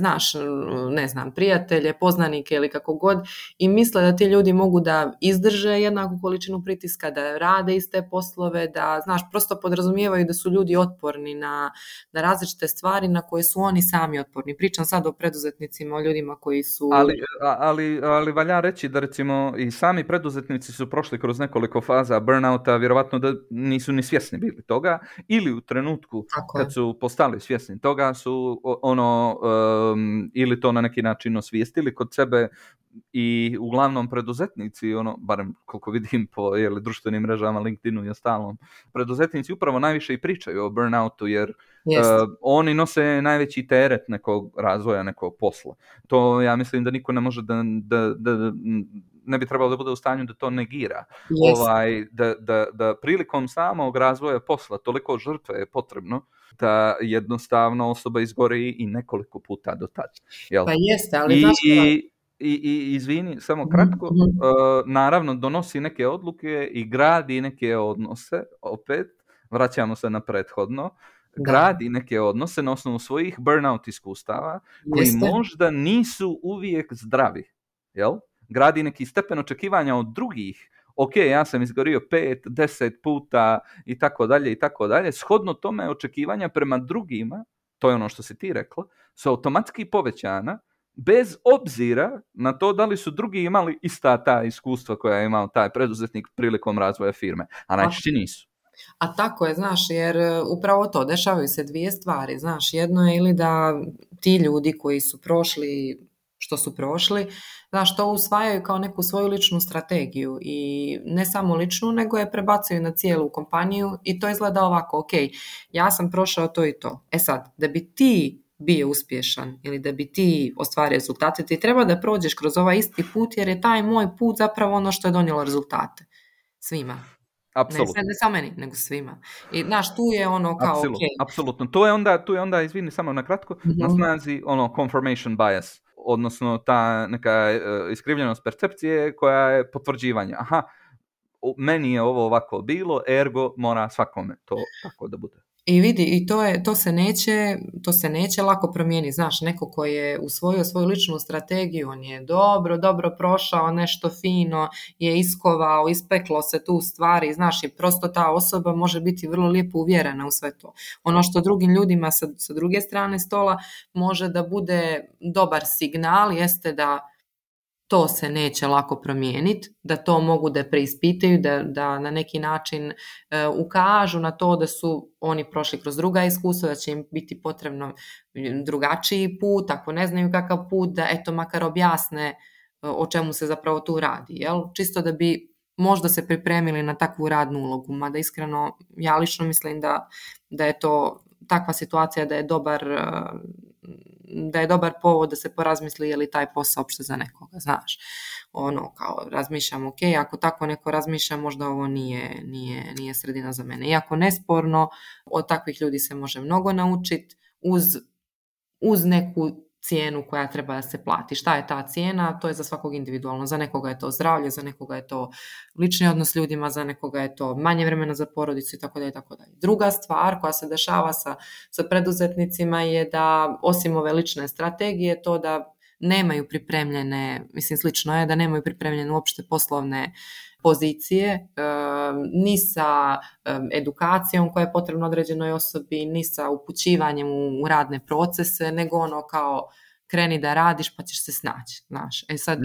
prijatelje, poznanike ili kako god i misle da ti ljudi mogu da izdrže jednaku količinu pritiska, da rade iste poslove, da, prosto podrazumijevaju da su ljudi otporni na različite stvari na koje su oni sami otporni. Pričam sad o preduzetnicima, o ljudima koji su... Ali valja reći da recimo i sami preduzetnici su prošli kroz nekoliko faza burnouta, vjerovatno da nisu ni svjesni bili toga, ili u trenutku kad su postali svjesni toga su ili to na neki način osvijestili kod sebe i uglavnom preduzetnici, barem koliko vidim po društvenim mrežama, LinkedInu i ostalom, preduzetnici upravo najviše i pričaju o burnoutu jer oni nose najveći teret nekog razvoja, nekog posla. To ja mislim da niko ne može da ne bi trebalo da bude u stanju da to negira. Da prilikom samog razvoja posla toliko žrtve je potrebno da jednostavno osoba izgori i nekoliko puta do tada. Pa jeste, ali I izvini, samo kratko, naravno donosi neke odluke i gradi neke odnose, opet, vraćamo se na prethodno, gradi neke odnose na osnovu svojih burnout iskustava koji možda nisu uvijek zdravi, jel? Gradi neki stepen očekivanja od drugih, ok, ja sam izgorio 5, 10 puta i tako dalje, shodno tome očekivanja prema drugima, to je ono što si ti rekla, su automatski povećana bez obzira na to da li su drugi imali ista ta iskustva koja je imao taj preduzetnik prilikom razvoja firme, a najčešće nisu. A tako je, jer upravo to, dešavaju se dvije stvari, jedno je ili da ti ljudi koji su prošli što su prošli, to usvajaju kao neku svoju ličnu strategiju i ne samo ličnu, nego je prebacuju na cijelu kompaniju i to izgleda ovako, ok, ja sam prošao to i to. E sad, da bi ti bio uspješan ili da bi ti ostvario rezultate, ti treba da prođeš kroz ovaj isti put, jer je taj moj put zapravo ono što je donijelo rezultate svima. Apsolutno. Ne samo meni, nego svima. I znaš, tu je ono kao Apsolutno. Tu je onda, izvini samo na kratko, na snazi confirmation bias, odnosno ta neka iskrivljenost percepcije koja je potvrđivanje. Aha, meni je ovo ovako bilo, ergo mora svakome to tako da bude. I vidi, i to se neće lako promijeniti. Znaš, neko ko je usvojio svoju ličnu strategiju, on je dobro prošao, nešto fino je iskovao, ispeklo se tu stvari, znaš, i prosto ta osoba može biti vrlo lijepo uvjerena u sve to. Ono što drugim ljudima sa druge strane stola može da bude dobar signal, jeste da to se neće lako promijeniti, da to mogu da preispitaju, da na neki način ukažu na to da su oni prošli kroz druga iskustva, da će im biti potrebno drugačiji put, ako ne znaju kakav put, da eto makar objasne o čemu se zapravo tu radi, jel? Čisto da bi možda se pripremili na takvu radnu ulogu, mada iskreno ja lično mislim da je to takva situacija da je dobar povod da se porazmisli je li taj posao uopšte za nekoga, znaš. Ono, kao razmišljam, ok, ako tako neko razmišlja, možda ovo nije sredina za mene. Iako nesporno, od takvih ljudi se može mnogo naučiti uz neku cijenu koja treba da se plati. Šta je ta cijena? To je za svakog individualno. Za nekoga je to zdravlje, za nekoga je to lični odnos s ljudima, za nekoga je to manje vremena za porodicu i tako dalje, tako dalje. Druga stvar koja se dešava sa preduzetnicima je da osim ove lične strategije, to da nemaju pripremljene, mislim slično je da nemaju pripremljene uopšte poslovne pozicije, ni sa edukacijom koja je potrebna određenoj osobi, ni sa upućivanjem u radne procese, nego ono kao kreni da radiš pa ćeš se snaći, znaš. Sad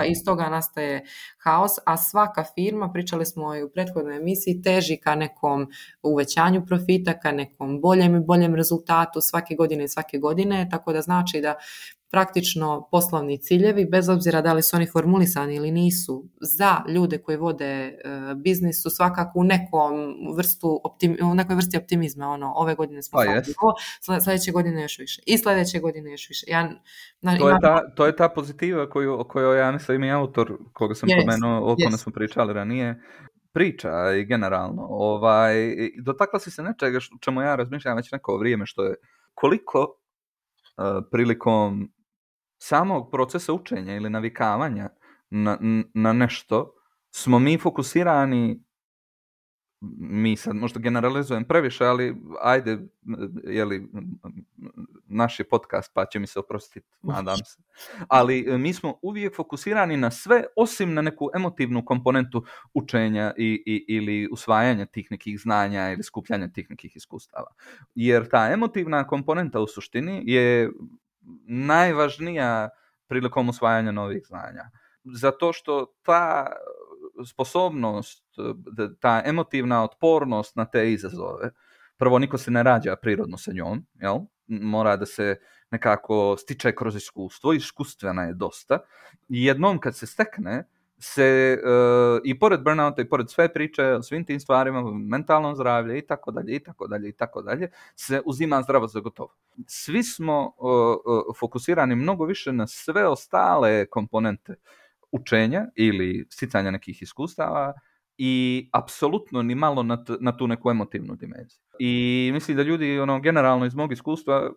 iz toga nastaje haos, a svaka firma, pričali smo i u prethodnoj emisiji, teži ka nekom uvećanju profita, ka nekom boljem rezultatu svake godine, tako da znači da praktično poslovni ciljevi, bez obzira da li su oni formulisani ili nisu, za ljude koji vode biznis su svakako u nekoj vrsti optimizma. Ono, ove godine smo sljedeće godine još više. I sljedeće godine još više. To je ta pozitiva o kojoj ja mislim i autor koga sam pomenuo, o kome smo pričali ranije, priča i generalno. Dotakla si se nečega čemu ja razmišljam već neko vrijeme, što je koliko prilikom samog procesa učenja ili navikavanja na nešto smo mi fokusirani, mi sad možda generalizujem previše, ali ajde, naš je podcast pa će mi se oprostiti, nadam se. Ali mi smo uvijek fokusirani na sve osim na neku emotivnu komponentu učenja ili usvajanja tih nekih znanja ili skupljanja tih nekih iskustava. Jer ta emotivna komponenta u suštini je najvažnija prilikom usvajanja novih znanja. Zato što ta sposobnost, ta emotivna otpornost na te izazove, prvo niko se ne rađa prirodno sa njom, jel? Mora da se nekako stiče kroz iskustvo, iskustvena je dosta. I jednom kad se stekne, se i pored burnouta i pored sve priče o svim tim stvarima, mentalnom zdravlju i tako dalje, se uzima zdravo za gotovo. Svi smo fokusirani mnogo više na sve ostale komponente učenja ili sticanja nekih iskustava i apsolutno ni malo na tu neku emotivnu dimenziju. I mislim da ljudi generalno iz mog iskustva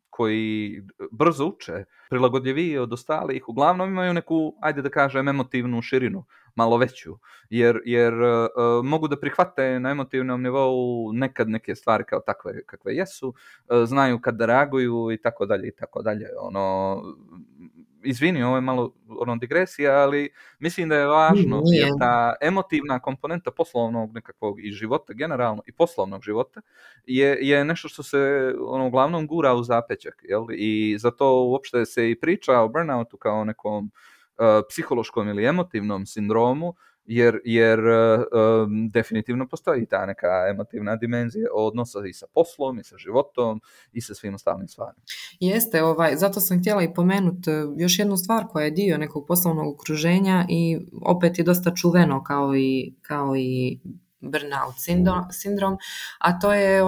koji brzo uče, prilagodljiviji od ostalih, uglavnom imaju neku, ajde da kažem, emotivnu širinu, malo veću, jer mogu da prihvate na emotivnom nivou nekad neke stvari kao takve kakve jesu, znaju kad da reaguju i tako dalje. Izvini, ovo je malo digresija, ali mislim da je važno, jer ta emotivna komponenta poslovnog nekakvog i života generalno i poslovnog života je nešto što se uglavnom gura u zapećak, jel? I zato uopšte se i priča o burnoutu kao nekom psihološkom ili emotivnom sindromu, jer definitivno postoji ta neka emotivna dimenzija odnosa i sa poslom, i sa životom, i sa svim ostalim stvarima. Jeste, zato sam htjela i pomenuti još jednu stvar koja je dio nekog poslovnog okruženja i opet je dosta čuveno kao i burnout sindrom, a to je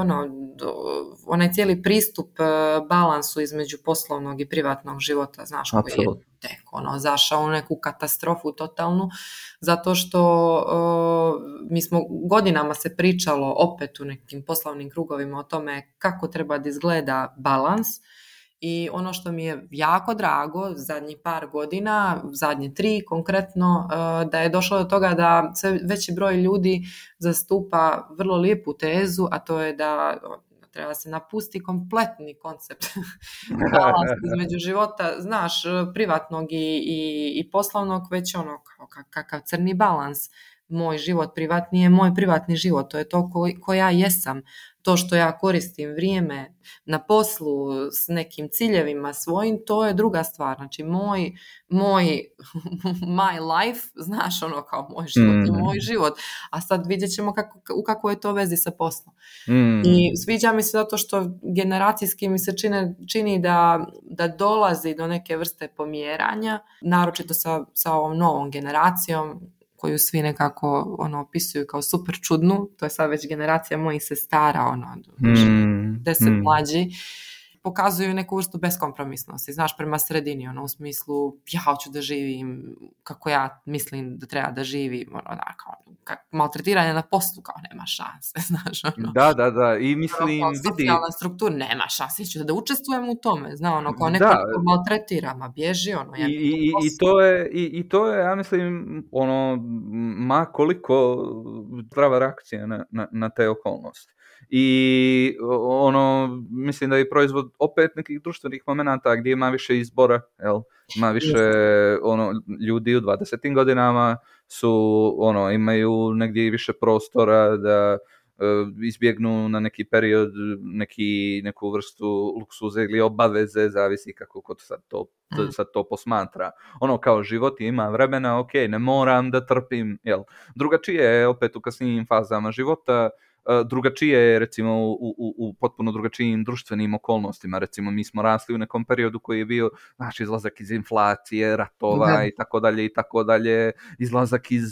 onaj cijeli pristup balansu između poslovnog i privatnog života, znaš, koji je tek zašao u neku katastrofu totalnu, zato što mi smo godinama se pričalo opet u nekim poslovnim krugovima o tome kako treba da izgleda balans. I ono što mi je jako drago zadnjih par godina, zadnje 3 konkretno, da je došlo do toga da sve veći broj ljudi zastupa vrlo lijepu tezu, a to je da treba se napusti kompletni koncept balans između života, znaš, privatnog i poslovnog, već kakav crni balans. Moj život privatni je moj privatni život, to je to ko ja jesam. To što ja koristim vrijeme na poslu s nekim ciljevima svojim, to je druga stvar. Znači, my life, znaš, kao moj život je moj život. A sad vidjet ćemo u kakvoj je to vezi sa poslom. I sviđa mi se zato što generacijski mi se čini da dolazi do neke vrste pomjeranja, naročito sa ovom novom generacijom, koju svi nekako opisuju kao super čudnu. To je sad već generacija mojih sestara, 10 mlađi. Pokazuju neku vrstu beskompromisnosti, znaš, prema sredini, u smislu ja hoću da živim kako ja mislim da treba da živim, maltretiranje na poslu, kao nema šanse, znaš, Da, i mislim, socijalna struktura, nema šanse, ću da učestvujem u tome, znaš, kao neko maltretira, ma bježi, I to je, ja mislim, ma koliko zdrava reakcija na te okolnosti. I mislim da je proizvod opet nekih društvenih momenata gdje ima više izbora, ima više ljudi u 20. godinama su imaju negdje više prostora da izbjegnu na neki period neku vrstu luksuze ili obaveze, zavisi kako kod sad to posmatra. Kao život ima vremena, ok, ne moram da trpim, drugačije je opet u kasnijim fazama života. Drugačije je, recimo, u potpuno drugačijim društvenim okolnostima. Recimo, mi smo rasli u nekom periodu koji je bio, znači, izlazak iz inflacije, ratova i tako dalje, izlazak iz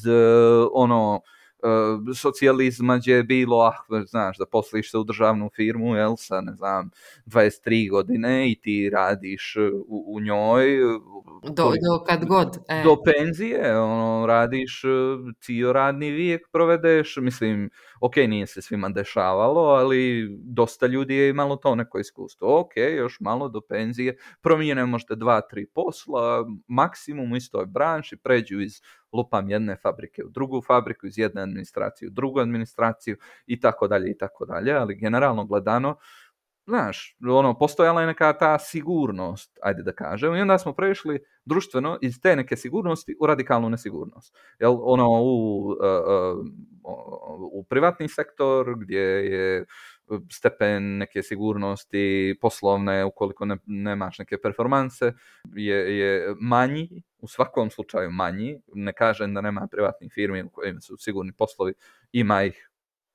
socijalizma gdje je bilo, znaš, da posliš se u državnu firmu, sa, ne znam, 23 godine i ti radiš u njoj do kad god. Do penzije, radiš cijel radni vijek provedeš, mislim, ok, nije se svima dešavalo, ali dosta ljudi je imalo to neko iskustvo. Ok, još malo do penzije, promijene možda 2-3 posla, maksimum u istoj branši, pređu iz lupam jedne fabrike u drugu fabriku, iz jedne administracije u drugu administraciju i tako dalje, ali generalno gledano, znaš, postojala je neka ta sigurnost, ajde da kažem, i onda smo prešli društveno iz te neke sigurnosti u radikalnu nesigurnost. U privatni sektor gdje je stepen neke sigurnosti poslovne, ukoliko nemaš neke performanse, je manji, u svakom slučaju manji. Ne kažem da nema privatnih firmi u kojima su sigurni poslovi, ima ih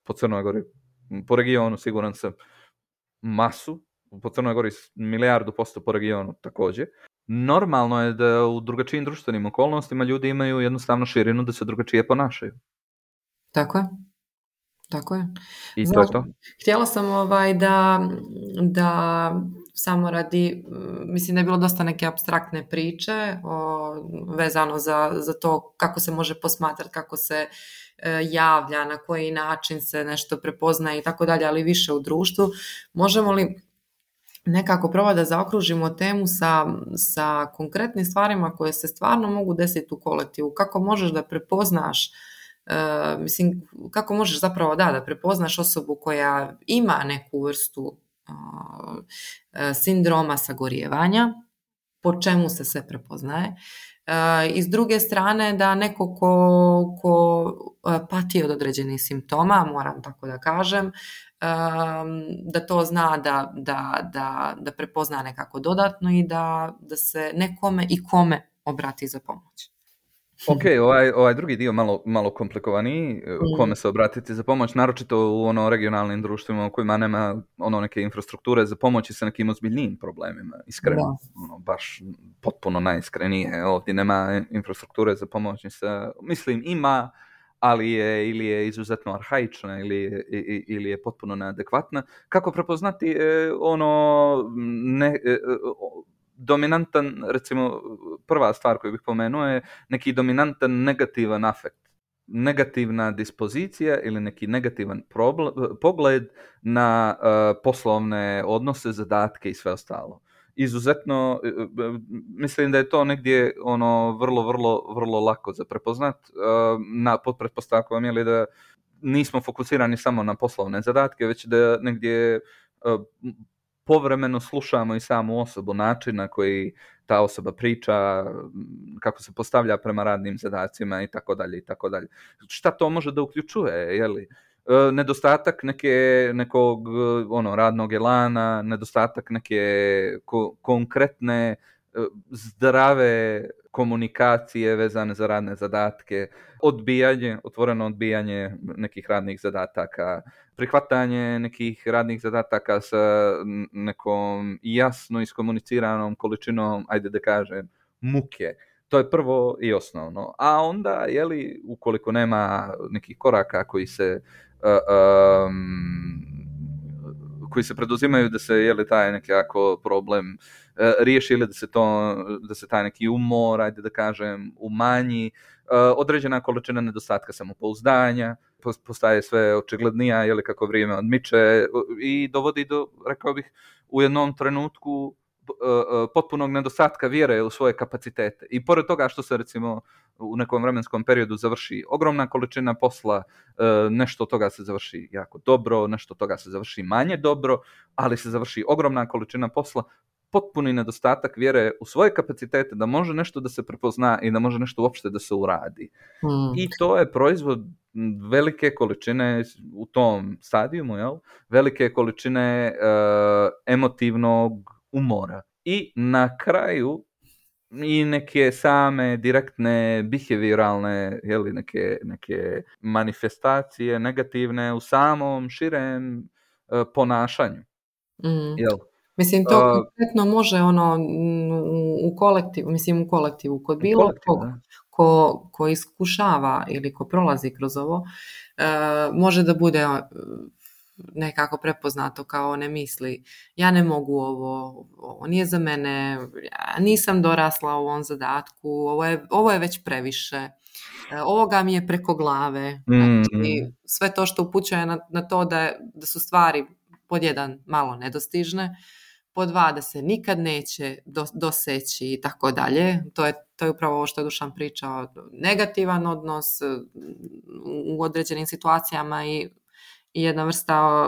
po Crnoj Gori, po regionu siguran sam masu, po Crnoj Gori 1,000% po regionu također. Normalno je da u drugačijim društvenim okolnostima ljudi imaju jednostavno širinu da se drugačije ponašaju. Tako je. I to je to. Htjela sam da samo radi, mislim da je bilo dosta neke apstraktne priče vezano za to kako se može posmatrati, kako se javlja, na koji način se nešto prepoznaje i tako dalje, ali više u društvu. Možemo li nekako probati da zaokružimo temu sa konkretnim stvarima koje se stvarno mogu desiti u kolektivu? Kako možeš da prepoznaš, kako možeš zapravo da prepoznaš osobu koja ima neku vrstu sindroma sagorijevanja, po čemu se sve prepoznaje, i s druge strane da neko ko pati od određenih simptoma, moram tako da kažem, da to zna da prepozna nekako dodatno i da se nekome i kome obrati za pomoć. Ok, ovaj drugi dio malo komplikovaniji, kome se obratiti za pomoć, naročito u regionalnim društvima u kojima nema neke infrastrukture za pomoć i sa nekim ozbiljnijim problemima, iskreno, baš potpuno najiskrenije. Ovdje nema infrastrukture za pomoć, mislim, ima, ali je ili je izuzetno arhaična ili je potpuno neadekvatna. Kako prepoznati dominantan, recimo prva stvar koju bih pomenuo je neki dominantan negativan afekt, negativna dispozicija ili neki negativan pogled na poslovne odnose, zadatke i sve ostalo. Izuzetno, mislim da je to negdje vrlo lako za prepoznat, pod pretpostavkom je li da nismo fokusirani samo na poslovne zadatke, već da negdje povremeno slušamo i samu osobu, način na koji ta osoba priča, kako se postavlja prema radnim zadacima i tako dalje i tako dalje. Šta to može da uključuje, je li? Nedostatak nekog radnog elana, nedostatak neke konkretne zdrave komunikacije vezane za radne zadatke, otvoreno odbijanje nekih radnih zadataka, prihvatanje nekih radnih zadataka sa nekom jasno iskomuniciranom količinom, ajde da kažem, muke. To je prvo i osnovno. A onda, ukoliko nema nekih koraka koji se preduzimaju da se taj nekako problem riješi ili da se taj neki umor, ajde da kažem, umanji, određena količina nedostatka samopouzdanja postaje sve očiglednija kako vrijeme odmiče i dovodi do, rekao bih, u jednom trenutku potpunog nedostatka vjere u svoje kapacitete. I pored toga što se recimo u nekom vremenskom periodu završi ogromna količina posla, nešto od toga se završi jako dobro, nešto od toga se završi manje dobro, ali se završi ogromna količina posla, potpuni nedostatak vjere u svoje kapacitete da može nešto da se prepozna i da može nešto uopšte da se uradi. I to je proizvod velike količine u tom stadijumu, velike količine emotivnog umora. I na kraju i neke same direktne behavioralne neke manifestacije negativne u samom širem ponašanju. Jel? Mislim, to konkretno može u kolektivu, kod bilo ko iskušava ili ko prolazi kroz ovo, može da bude nekako prepoznato kao ne misli, ja ne mogu ovo nije za mene, ja nisam dorasla ovom zadatku, ovo je već previše, ovoga mi je preko glave. Znači, sve to što upućuje na to da su stvari pod jedan malo nedostižne, pod dva da se nikad neće doseći i tako dalje. To je upravo ovo što je Dušan pričao, negativan odnos u određenim situacijama i jedna vrsta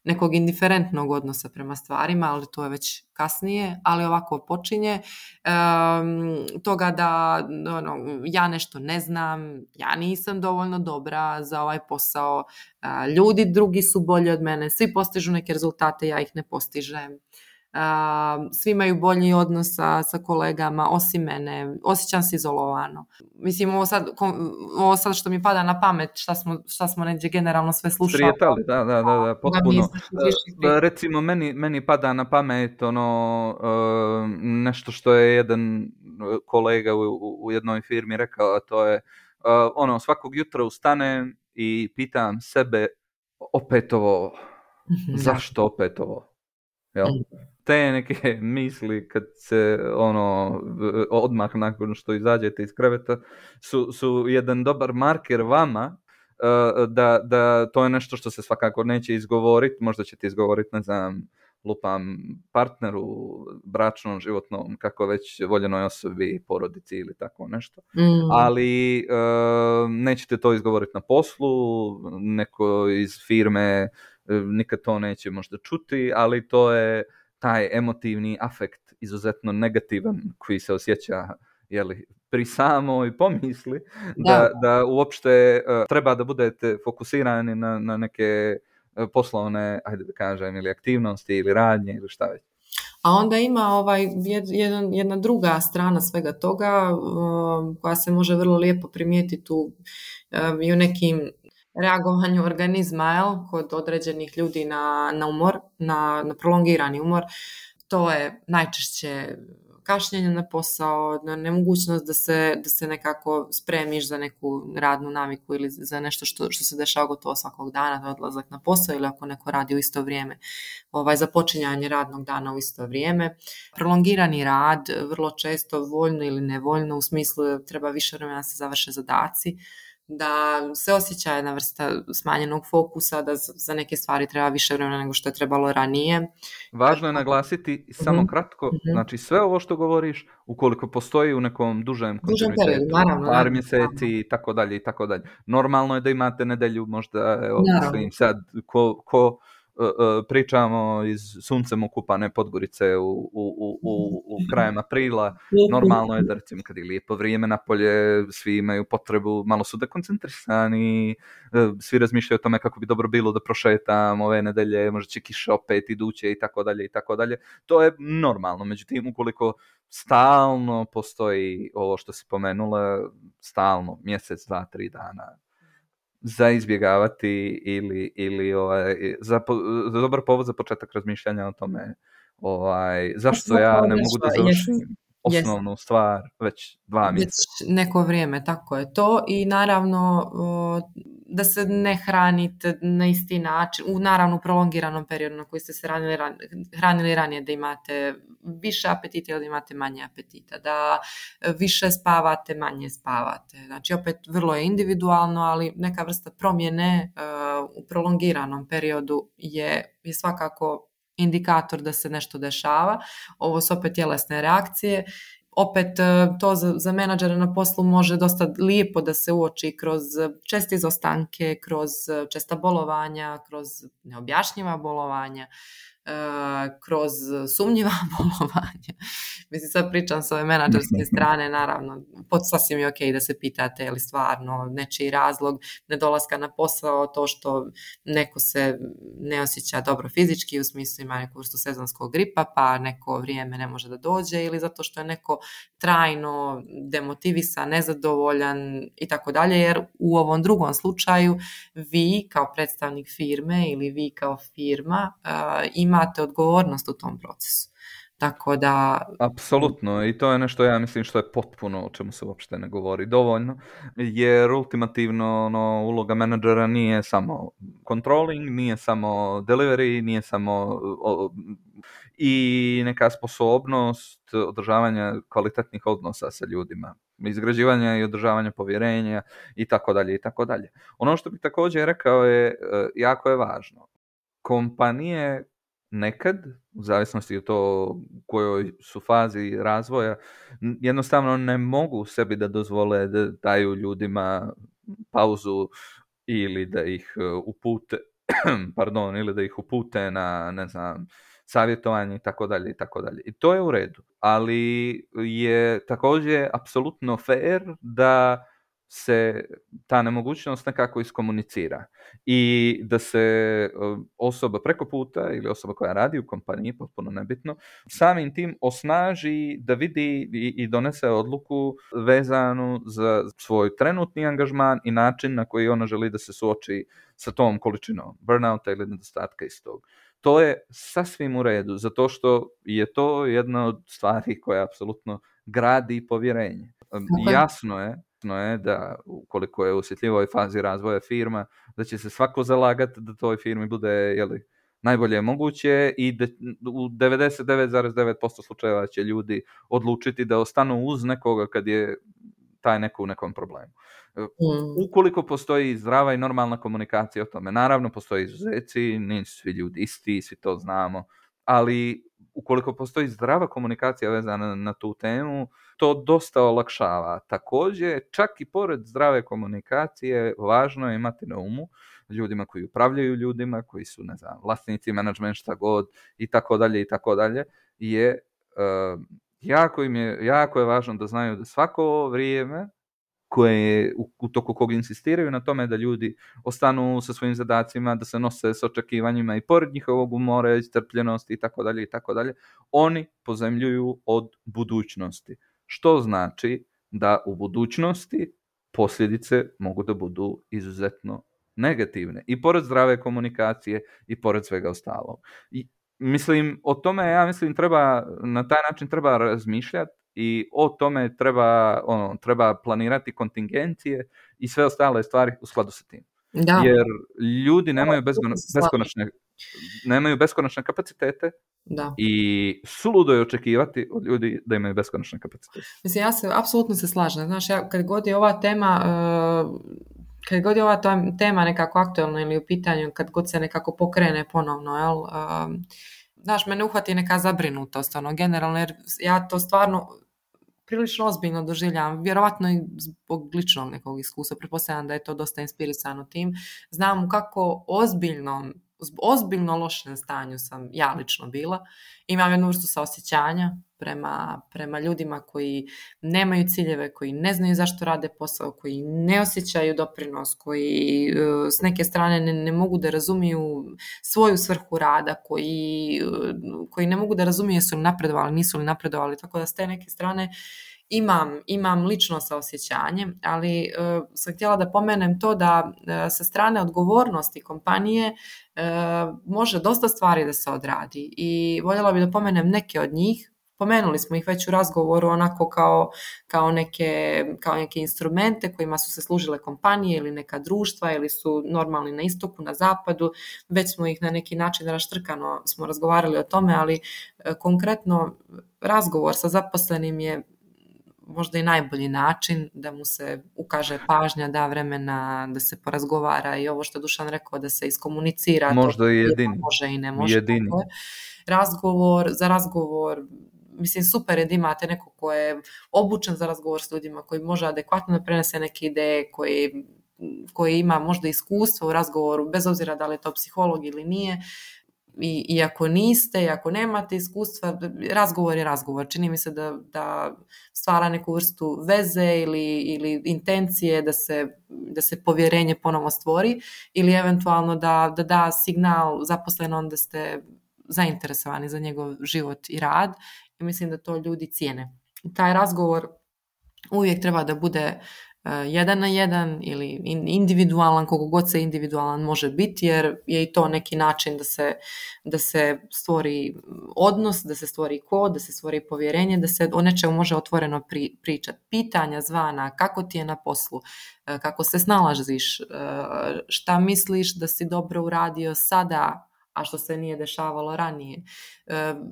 nekog indiferentnog odnosa prema stvarima, ali to je već kasnije, ali ovako počinje toga da ja nešto ne znam, ja nisam dovoljno dobra za ovaj posao, ljudi drugi su bolji od mene, svi postižu neke rezultate, ja ih ne postižem. Svi imaju bolji odnos sa kolegama osim mene, osjećam se izolovano. Mislim, ovo sad što mi pada na pamet, šta smo neđe generalno sve slušali. Prijetali, da, potpuno. Recimo, meni pada na pamet nešto što je jedan kolega u jednoj firmi rekao, a to je svakog jutra ustanem i pitam sebe opet ovo, zašto opet ovo? Jel? Te neke misli kad se odmah nakon što izađete iz kreveta su jedan dobar marker vama da to je nešto što se svakako neće izgovoriti, možda ćete izgovoriti, ne znam, lupam partneru, bračnom, životnom, kako već voljenoj osobi, porodici ili tako nešto. Ali nećete to izgovoriti na poslu, neko iz firme nikad to neće možda čuti, ali to je taj emotivni afekt izuzetno negativan koji se osjeća pri samoj pomisli da uopšte treba da budete fokusirani na neke poslovne, ajde da kažem, ili aktivnosti ili radnje ili šta već. A onda ima jedna druga strana svega toga koja se može vrlo lijepo primijetiti i u nekim reagovanju organizma, kod određenih ljudi na umor, na prolongirani umor. To je najčešće kašnjenje na posao, nemogućnost da se nekako spremiš za neku radnu naviku ili za nešto što se dešava gotovo svakog dana, odlazak na posao ili ako neko radi u isto vrijeme, započinjanje radnog dana u isto vrijeme. Prolongirani rad, vrlo često voljno ili nevoljno, u smislu treba više vremena da se završe zadaci, da se osjeća jedna vrsta smanjenog fokusa, da za neke stvari treba više vremena nego što je trebalo ranije. Važno je naglasiti samo kratko, znači sve ovo što govoriš, ukoliko postoji u nekom dužem kontinuitetu, par mjeseci i tako dalje i tako dalje. Normalno je da imate nedelju, možda, mislim sad, ko pričamo iz suncem okupane Podgorice u krajem aprila, normalno je da recimo kad je lijepo vrijeme napolje, svi imaju potrebu, malo su dekoncentrisani, svi razmišljaju o tome kako bi dobro bilo da prošetam ove nedelje, možda će kiša opet iduće i tako dalje i tako dalje. To je normalno, međutim ukoliko stalno postoji ovo što si pomenula, stalno, mjesec, 2-3 dana, za izbjegavati ili za dobar povod za početak razmišljanja o tome zašto ja ne mogu da završim osnovnu stvar već 2 mjeseca. Već neko vrijeme, tako je to. I naravno da se ne hranite na isti način, u naravno prolongiranom periodu na koji ste se hranili ranije, da imate više apetita ili da imate manje apetita, da više spavate, manje spavate. Znači opet vrlo je individualno, ali neka vrsta promjene u prolongiranom periodu je svakako indikator da se nešto dešava. Ovo su opet tjelesne reakcije. Opet to za menadžere na poslu može dosta lijepo da se uoči kroz česte izostanke, kroz česta bolovanja, kroz neobjašnjiva bolovanja, kroz sumnjiva bolovanja. Mislim, sad pričam s ove menadžerske strane, naravno, sasvim je ok da se pitate je li stvarno nečiji razlog nedolaska na posao to što neko se ne osjeća dobro fizički, u smislu ima neku vrstu sezonskog gripa, pa neko vrijeme ne može da dođe, ili zato što je neko trajno demotivisan, nezadovoljan i tako dalje, jer u ovom drugom slučaju vi kao predstavnik firme ili vi kao firma imate odgovornost u tom procesu. Tako da... Apsolutno, i to je nešto ja mislim što je potpuno o čemu se uopšte ne govori dovoljno, jer ultimativno uloga menadžera nije samo controlling, nije samo delivery, nije samo i neka sposobnost održavanja kvalitetnih odnosa sa ljudima, izgrađivanja i održavanja povjerenja i tako dalje i tako dalje. Ono što bih također rekao je jako je važno. Kompanije nekad, u zavisnosti od to u kojoj su fazi razvoja, jednostavno ne mogu sebi da dozvole da daju ljudima pauzu ili da ih upute ili da ih upute na, ne znam, savjetovanje i tako dalje i tako dalje. I to je u redu, ali je također apsolutno fair da se ta nemogućnost nekako iskomunicira i da se osoba preko puta ili osoba koja radi u kompaniji, potpuno nebitno, samim tim osnaži da vidi i donese odluku vezanu za svoj trenutni angažman i način na koji ona želi da se suoči sa tom količinom burnouta ili nedostatka istog. To je sasvim u redu, zato što je to jedna od stvari koja apsolutno gradi povjerenje. Jasno je da ukoliko je u osjetljivoj fazi razvoja firma, da će se svako zalagati da toj firmi bude najbolje moguće i da u 99,9% slučajeva će ljudi odlučiti da ostanu uz nekoga kad je taj neko u nekom problemu. Ukoliko postoji zdrava i normalna komunikacija o tome, naravno postoje izuzeci, nisu svi ljudi isti, svi to znamo, ali ukoliko postoji zdrava komunikacija vezana na tu temu, to dosta olakšava. Također, čak i pored zdrave komunikacije, važno je imati na umu ljudima koji upravljaju ljudima, koji su, ne znam, vlasnici, menadžment, šta god, i tako dalje, je jako je važno da znaju da svako vrijeme koje u toku kog insistiraju na tome da ljudi ostanu sa svojim zadacima, da se nose s očekivanjima i pored njihovog umora, strpljenosti i tako dalje, oni pozemljuju od budućnosti. Što znači da u budućnosti posljedice mogu da budu izuzetno negativne. I pored zdrave komunikacije i pored svega ostalog. I mislim, o tome, ja mislim, treba, na taj način treba razmišljati i o tome treba planirati kontingencije i sve ostale stvari u skladu sa tim. Da. Jer ljudi nemaju beskonačne kapacitete Da. i suludo je očekivati od ljudi da imaju beskonačne kapacitete. Mislim, apsolutno se slažem. Znaš, kad god je ova tema nekako aktualna ili u pitanju, kad god se nekako pokrene ponovno, jel, znaš, mene uhvati neka zabrinutost, generalno, jer ja to stvarno prilično ozbiljno doživljavam, vjerovatno i zbog ličnog nekog iskustva, pretpostavljam da je to dosta inspirisano tim. Znam u kako ozbiljno lošem stanju sam ja lično bila. Imam jednu vrstu saosjećanja prema ljudima koji nemaju ciljeve, koji ne znaju zašto rade posao, koji ne osjećaju doprinos, koji s neke strane ne mogu da razumiju svoju svrhu rada, koji ne mogu da razumiju jesu li napredovali, nisu li napredovali, tako da s te neke strane imam lično saosjećanje, ali sam htjela da pomenem to da sa strane odgovornosti kompanije može dosta stvari da se odradi i voljela bih da pomenem neke od njih. Pomenuli smo ih već u razgovoru onako kao neke instrumente kojima su se služile kompanije ili neka društva ili su normalni na istoku, na zapadu. Već smo ih na neki način raštrkano smo razgovarali o tome, ali konkretno razgovor sa zaposlenim je možda i najbolji način da mu se ukaže pažnja, da vremena, da se porazgovara i ovo što je Dušan rekao, da se iskomunicira. Možda i jedini. Može i ne može. Razgovor, mislim, super je da imate neko ko je obučen za razgovor s ljudima, koji može adekvatno da prenese neke ideje, koji ima možda iskustvo u razgovoru, bez obzira da li je to psiholog ili nije. I ako niste, i ako nemate iskustva, razgovor je razgovor. Čini mi se da stvara neku vrstu veze ili intencije da se povjerenje ponovo stvori ili eventualno da signal zaposlenom da ste zainteresovani za njegov život i rad i mislim da to ljudi cijene. Taj razgovor uvijek treba da bude 1 na 1 ili individualan, koliko god se individualan može biti, jer je i to neki način da se stvori odnos, da se stvori kod, da se stvori povjerenje, da se o nečemu može otvoreno pričati. Pitanja zvana, kako ti je na poslu, kako se snalaziš, šta misliš da si dobro uradio sada, a što se nije dešavalo ranije.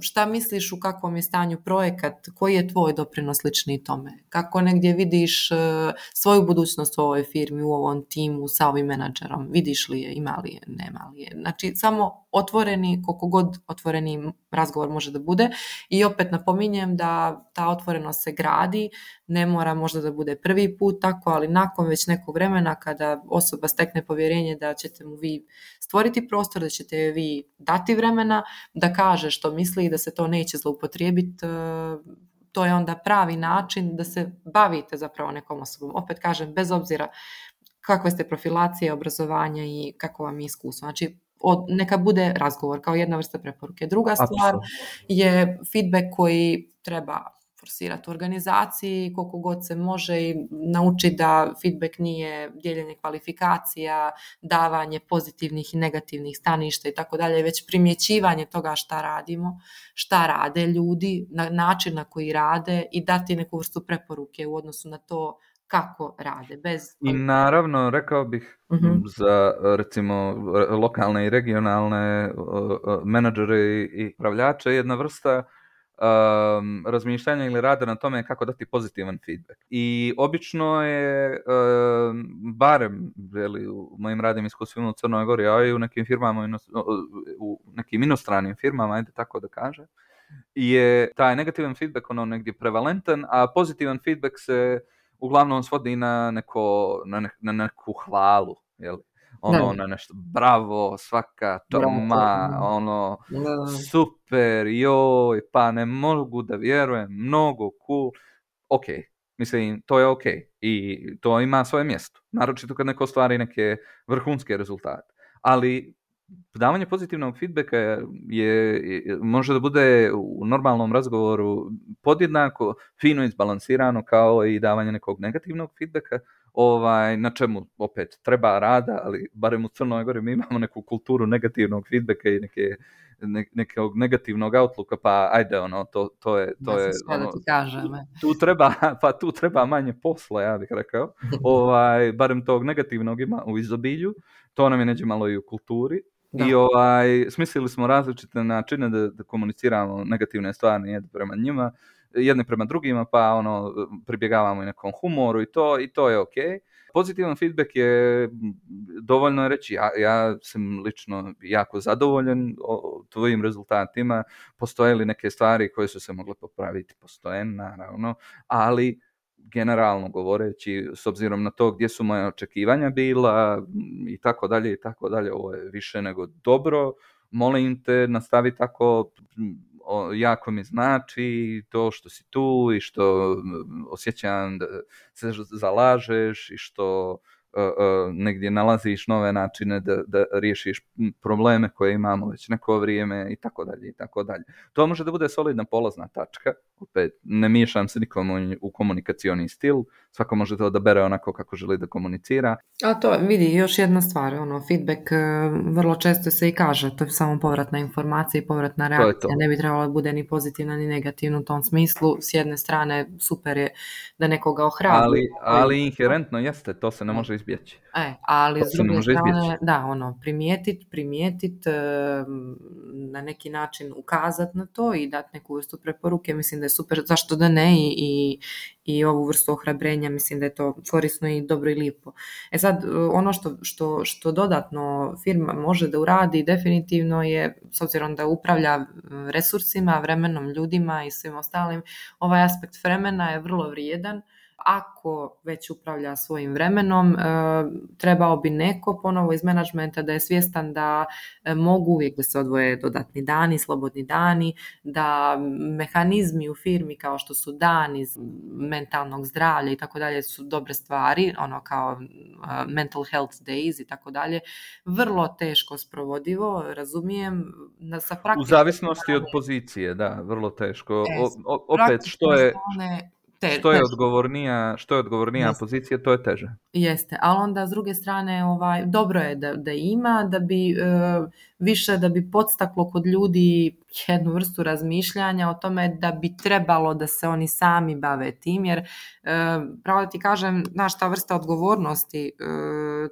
Šta misliš u kakvom je stanju projekat, koji je tvoj doprinos lični tome? Kako negdje vidiš svoju budućnost u ovoj firmi, u ovom timu, sa ovim menadžerom? Vidiš li je, ima li je, nema li je? Znači, samo otvoreni, koliko god otvoreni razgovor može da bude. I opet napominjem da ta otvorenost se gradi, ne mora možda da bude prvi put tako, ali nakon već nekog vremena kada osoba stekne povjerenje da ćete mu vi stvoriti prostor, da ćete vi dati vremena da kaže što misli i da se to neće zloupotrijebiti, to je onda pravi način da se bavite zapravo nekom osobom. Opet kažem, bez obzira kakve ste profilacije, obrazovanja i kako vam je iskustvo. Znači, neka bude razgovor kao jedna vrsta preporuke. Druga stvar je feedback koji treba forsirati u organizaciji, koliko god se može i naučiti da feedback nije dijeljenje kvalifikacija, davanje pozitivnih i negativnih staništa i tako dalje, već primjećivanje toga šta radimo, šta rade ljudi, na način na koji rade i dati neku vrstu preporuke u odnosu na to kako rade. I naravno, rekao bih za recimo lokalne i regionalne menadžere i upravljače jedna vrsta razmišljanja ili rada na tome kako dati pozitivan feedback. I obično je, barem u mojim radnim iskustvima u Crnoj Gori, a i u nekim firmama, u nekim inostranim firmama, ajde tako da kažem, je taj negativan feedback negdje prevalentan, a pozitivan feedback se uglavnom svodi na neku hvalu, jel? Na nešto, bravo, svaka čarma, super, joj, pa ne mogu da vjerujem, mnogo cool. Ok, mislim, to je ok i to ima svoje mjesto, naročito kad neko ostvari neke vrhunske rezultate. Ali davanje pozitivnog feedbacka može da bude u normalnom razgovoru podjednako fino izbalansirano kao i davanje nekog negativnog feedbacka, na čemu opet treba rada, ali barem u Crnoj Gori mi imamo neku kulturu negativnog feedbacka i nekog negativnog outlooka, pa ajde, to je Sve da ti kažem. tu treba manje posla, ja bih rekao. Barem tog negativnog ima u izobilju, to nam je neđe malo i u kulturi. Da. I smislili smo različite načine da komuniciramo negativne stvari jedne prema njima, jedne prema drugima, pa pribjegavamo i nekom humoru i to je ok. Pozitivan feedback je dovoljno reći, ja sam lično jako zadovoljan tvojim rezultatima, postoje li neke stvari koje su se mogle popraviti, postoje naravno, ali generalno govoreći, s obzirom na to gdje su moje očekivanja bila i tako dalje, ovo je više nego dobro, molim te, nastavi tako, jako mi znači to što si tu i što osjećam da se zalažeš i što negdje nalaziš nove načine da riješiš probleme koje imamo već neko vrijeme i tako dalje. To može da bude solidna polazna tačka. Opet, ne miješam se nikom u komunikacioni stil, svako može to odabere onako kako želi da komunicira. A to vidi još jedna stvar, feedback vrlo često se i kaže, to je samo povratna informacija i povratna reakcija, ne bi trebalo da bude ni pozitivna ni negativna u tom smislu. S jedne strane super je da nekoga ohrabri. Ali inherentno jeste, to se ne može izbjeći. Ali s druge strane, primijetit, na neki način ukazati na to i dati neku vrstu preporuke, mislim da je super, zašto da ne, i ovu vrstu ohrabrenja, mislim da je to korisno i dobro i lijepo. Sad, ono što dodatno firma može da uradi definitivno je, s obzirom da upravlja resursima, vremenom, ljudima i svim ostalim, ovaj aspekt vremena je vrlo vrijedan. Ako već upravlja svojim vremenom, trebao bi neko ponovo iz menadžmenta da je svjestan da mogu uvijek da se odvoje dodatni dani, slobodni dani, da mehanizmi u firmi kao što su dani mentalnog zdravlja i tako dalje su dobre stvari, kao mental health days i tako dalje, vrlo teško sprovodivo, razumijem. U zavisnosti od pozicije, da, vrlo teško. Opet, što je odgovornija pozicija, to je teže. Jeste, ali onda s druge strane dobro je da ima, da bi više da bi podstaklo kod ljudi jednu vrstu razmišljanja o tome da bi trebalo da se oni sami bave tim, jer pravo da ti kažem, ta vrsta odgovornosti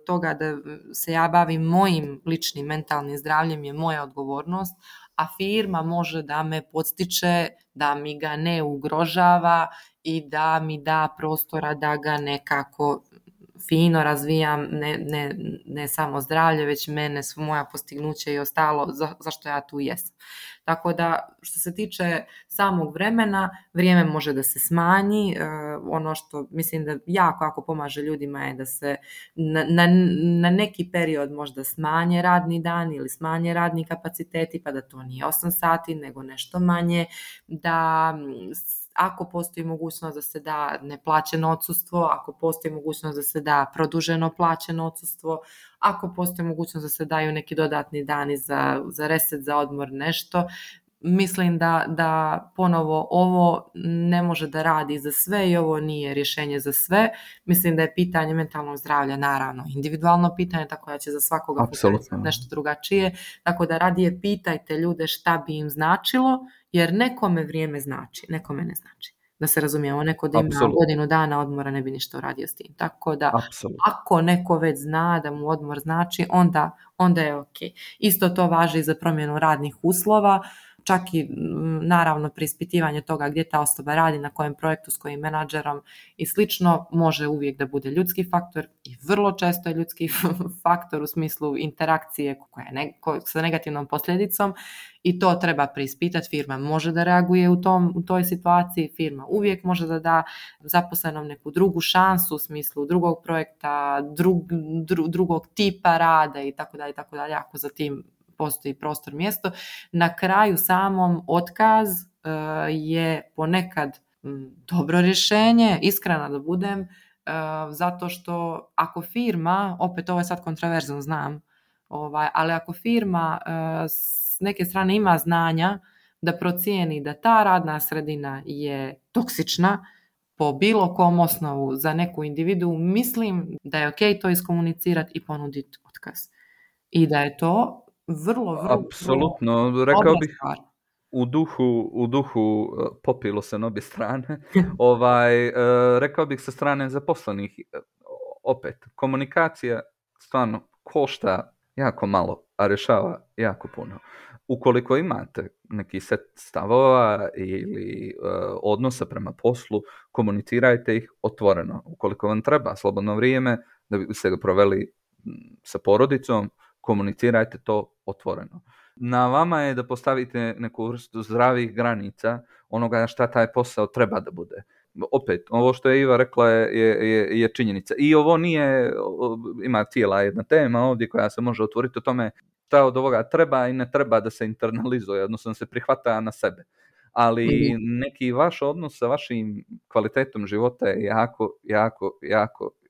toga da se ja bavim mojim ličnim mentalnim zdravljem je moja odgovornost, a firma može da me podstiče, da mi ga ne ugrožava i da mi da prostora da ga nekako fino razvijam, ne samo zdravlje, već mene, moja postignuća i ostalo, zašto ja tu jesam. Tako da, što se tiče samog vremena, vrijeme može da se smanji. Ono što mislim da jako pomaže ljudima je da se na neki period možda smanje radni dan ili smanje radni kapaciteti, pa da to nije 8 sati, nego nešto manje, da ako postoji mogućnost da se da neplaćeno odsustvo, ako postoji mogućnost da se da produženo plaćeno odsustvo, ako postoji mogućnost da se daju neki dodatni dani za reset, za odmor, nešto. Mislim da ponovo ovo ne može da radi za sve i ovo nije rješenje za sve. Mislim da je pitanje mentalnog zdravlja naravno individualno pitanje, tako da će za svakoga nešto drugačije. Tako da radije pitajte ljude šta bi im značilo, jer nekome vrijeme znači, nekome ne znači. Da se razumijemo, neko da ima godinu dana odmora ne bi ništa uradio s tim. Tako da ako neko već zna da mu odmor znači, onda je ok. Isto to važi i za promjenu radnih uslova. Čak i naravno preispitivanje toga gdje ta osoba radi, na kojem projektu, s kojim menadžerom i slično, može uvijek da bude ljudski faktor i vrlo često je ljudski faktor u smislu interakcije sa negativnom posljedicom i to treba preispitati. Firma može da reaguje u toj situaciji, firma uvijek može da da zaposlenom neku drugu šansu u smislu drugog projekta, drugog tipa rada i tako dalje, ako za tim postoji prostor, mjesto. Na kraju samom otkaz je ponekad dobro rješenje, iskreno da budem, zato što ako firma, opet ovo je sad kontroverzno, znam, ali ako firma s neke strane ima znanja da procijeni da ta radna sredina je toksična po bilo kom osnovu za neku individu, mislim da je ok to iskomunicirati i ponuditi otkaz. I da je to vrlo Apsolutno, dobra rekao bih stvar. u duhu popilo se na obje strane. Rekao bih sa strane zaposlenih, opet, komunikacija stvarno košta jako malo, a rješava jako puno. Ukoliko imate neki set stavova ili odnosa prema poslu, komunicirajte ih otvoreno. Ukoliko vam treba slobodno vrijeme da biste ga proveli sa porodicom, komunicirajte to otvoreno. Na vama je da postavite neku vrstu zdravih granica onoga šta taj posao treba da bude. Opet, ovo što je Iva rekla je činjenica. I ovo nije, ima cijela jedna tema ovdje koja se može otvoriti o tome šta od ovoga treba i ne treba da se internalizuje, odnosno da se prihvata na sebe. Ali neki vaš odnos sa vašim kvalitetom života je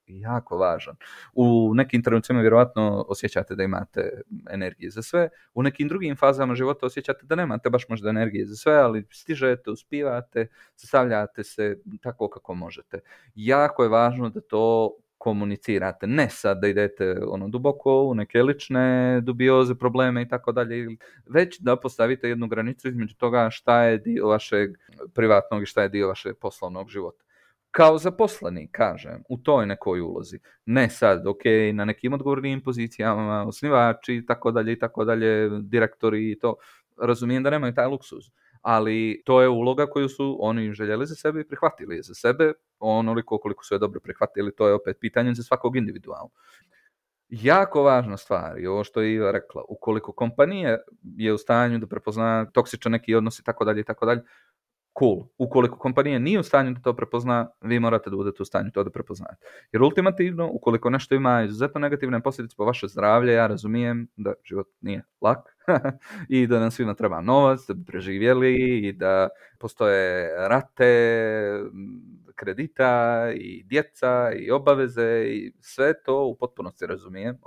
jako važan. U nekim trenucima vjerojatno osjećate da imate energije za sve, u nekim drugim fazama života osjećate da nemate baš možda energije za sve, ali stižete, uspijevate, sastavljate se tako kako možete. Jako je važno da to komunicirate, ne sad da idete duboko u neke lične dubioze, probleme i tako dalje, već da postavite jednu granicu između toga šta je dio vašeg privatnog i šta je dio vašeg poslovnog života. Kao zaposleni, kažem, u toj nekoj ulozi. Ne sad, na nekim odgovornim pozicijama, osnivači i tako dalje, direktori i to, razumijem da nemaju taj luksuz. Ali to je uloga koju su oni željeli za sebe i prihvatili za sebe, onoliko koliko su je dobro prihvatili, to je opet pitanje za svakog individualno. Jako važna stvar je ovo što je Iva rekla, ukoliko kompanija je u stanju da prepozna toksičan neki odnos i tako dalje, cool. Ukoliko kompanija nije u stanju da to prepozna, vi morate da budete u stanju to da prepoznate. Jer ultimativno, ukoliko nešto ima izuzetno negativne posljedice po vaše zdravlje, ja razumijem da život nije lak i da nam svima treba novac, da bi preživjeli i da postoje rate, kredita i djeca i obaveze i sve to u potpunosti razumijem.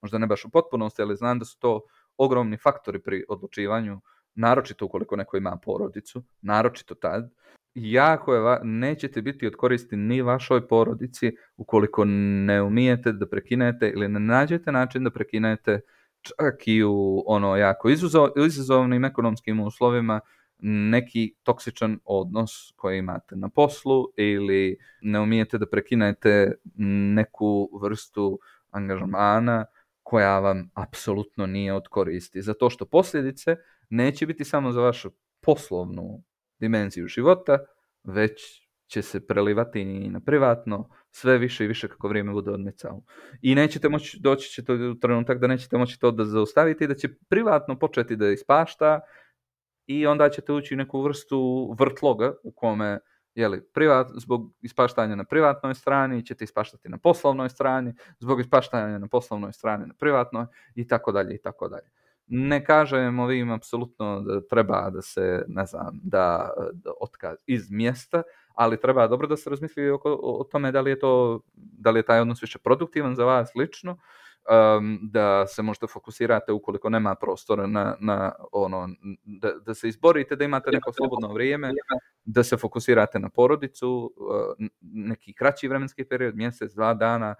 Možda ne baš u potpunosti, ali znam da su to ogromni faktori pri odlučivanju, naročito ukoliko neko ima porodicu, naročito tad, jako je nećete biti od koristi ni vašoj porodici ukoliko ne umijete da prekinete ili ne nađete način da prekinete čak i u jako izazovnim ekonomskim uslovima neki toksičan odnos koji imate na poslu ili ne umijete da prekinete neku vrstu angažmana koja vam apsolutno nije od koristi. Zato što posljedice neće biti samo za vašu poslovnu dimenziju života, već će se prelivati i na privatno sve više i više kako vrijeme bude odmicalo. I nećete moći, doći će to u trenutak da nećete moći to da zaustavite i da će privatno početi da ispašta i onda ćete ući u neku vrstu vrtloga u kome zbog ispaštanja na privatnoj strani ćete ispaštati na poslovnoj strani, zbog ispaštanja na poslovnoj strani na privatnoj i tako dalje i tako dalje. Ne kažem ovim apsolutno da treba da se, da otkaz iz mjesta, ali treba dobro da se razmisli o tome da li je taj odnos više produktivan za vas lično, da se možete fokusirate ukoliko nema prostora da se izborite, da imate neko slobodno vrijeme, da se fokusirate na porodicu, neki kraći vremenski period, mjesec, 2 dana,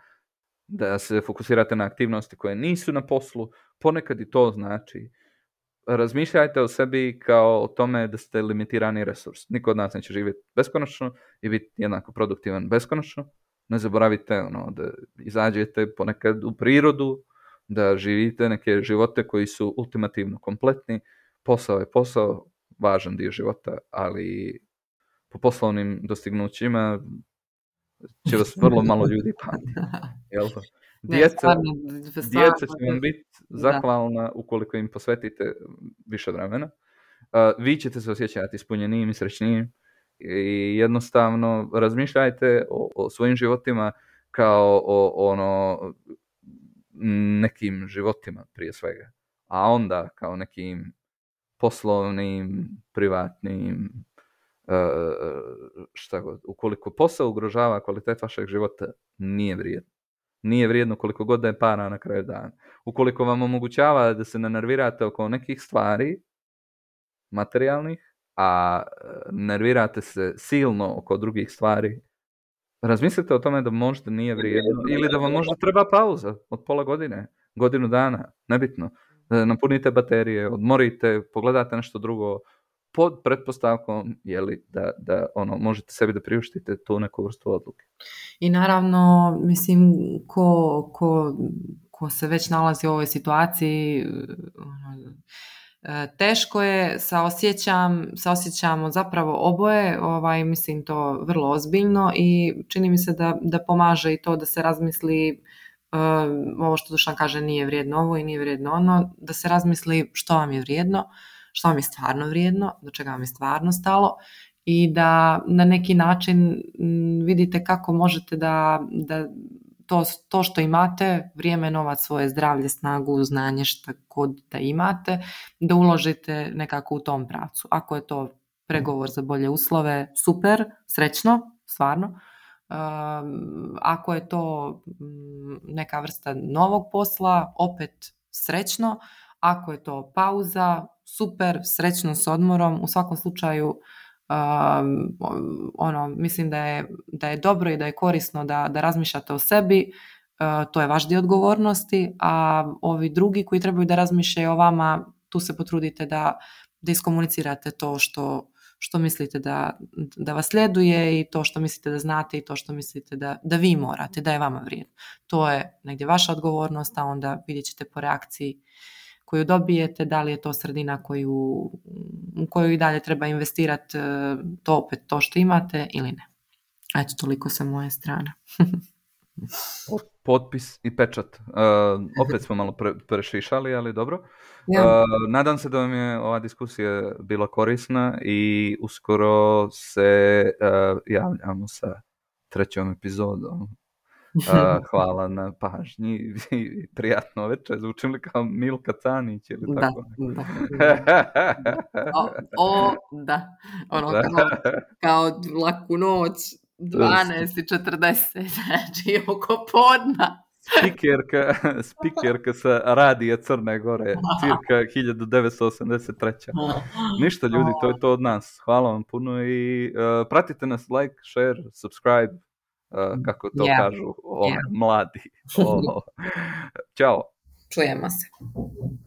da se fokusirate na aktivnosti koje nisu na poslu, ponekad i to znači. Razmišljajte o sebi kao o tome da ste limitirani resurs. Niko od nas neće živjeti beskonačno i biti jednako produktivan beskonačno. Ne zaboravite da izađete ponekad u prirodu, da živite neke živote koji su ultimativno kompletni. Posao je posao, važan dio života, ali po poslovnim dostignućima će vas vrlo malo ljudi pamtiti. Jel? Djeca će vam biti zahvalna ukoliko im posvetite više vremena. Vi ćete se osjećati ispunjenijim i srećnijim i jednostavno razmišljajte o svojim životima kao o nekim životima prije svega, a onda kao nekim poslovnim, privatnim, šta god. Ukoliko posao ugrožava kvalitet vašeg života, nije vrijedno. Nije vrijedno koliko god da je para na kraju dana. Ukoliko vam omogućava da se ne nervirate oko nekih stvari materijalnih, a nervirate se silno oko drugih stvari, razmislite o tome da možda nije vrijedno ili da vam možda treba pauza od pola godine, godinu dana, nebitno. napunite baterije, odmorite, pogledate nešto drugo, pod pretpostavkom da možete sebi da priuštite tu neku vrstu odluke. I naravno, mislim, ko se već nalazi u ovoj situaciji, teško je, saosjećamo zapravo oboje, mislim to vrlo ozbiljno i čini mi se da pomaže i to da se razmisli, ovo što Dušan kaže, nije vrijedno ovo i nije vrijedno ono, da se razmisli što vam je vrijedno, što vam je stvarno vrijedno, do čega vam je stvarno stalo i da na neki način vidite kako možete da to što imate, vrijeme, novac, svoje zdravlje, snagu, znanje, šta god da imate, da uložite nekako u tom pravcu. Ako je to pregovor za bolje uslove, super, srećno, stvarno. Ako je to neka vrsta novog posla, opet srećno. Ako je to pauza, super, srećno s odmorom. U svakom slučaju mislim da je dobro i da je korisno da razmišljate o sebi, to je vaš dio odgovornosti, a ovi drugi koji trebaju da razmišljaju o vama, tu se potrudite da iskomunicirate to što mislite da vas sljeduje i to što mislite da znate i to što mislite da vi morate, da je vama vrijedno. To je negdje vaša odgovornost, a onda vidjet ćete po reakciji koju dobijete, da li je to sredina u koju i dalje treba investirati to što imate ili ne. Eto, toliko sa moje strane. Potpis i pečat. Opet smo malo prešišali, ali dobro. Ja. Nadam se da vam je ova diskusija bila korisna i uskoro se javljamo sa 3. epizodom. Hvala na pažnji i prijatno večer. Zvučim li kao Milka Canić ili tako? Da. Kao laku noć, 12:40, znači oko podna. Spikerka sa radija Crne Gore, cirka 1983. Ništa ljudi, to je to od nas. Hvala vam puno i pratite nas, like, share, subscribe, kako to kažu mladi. Ćao. Čujemo se.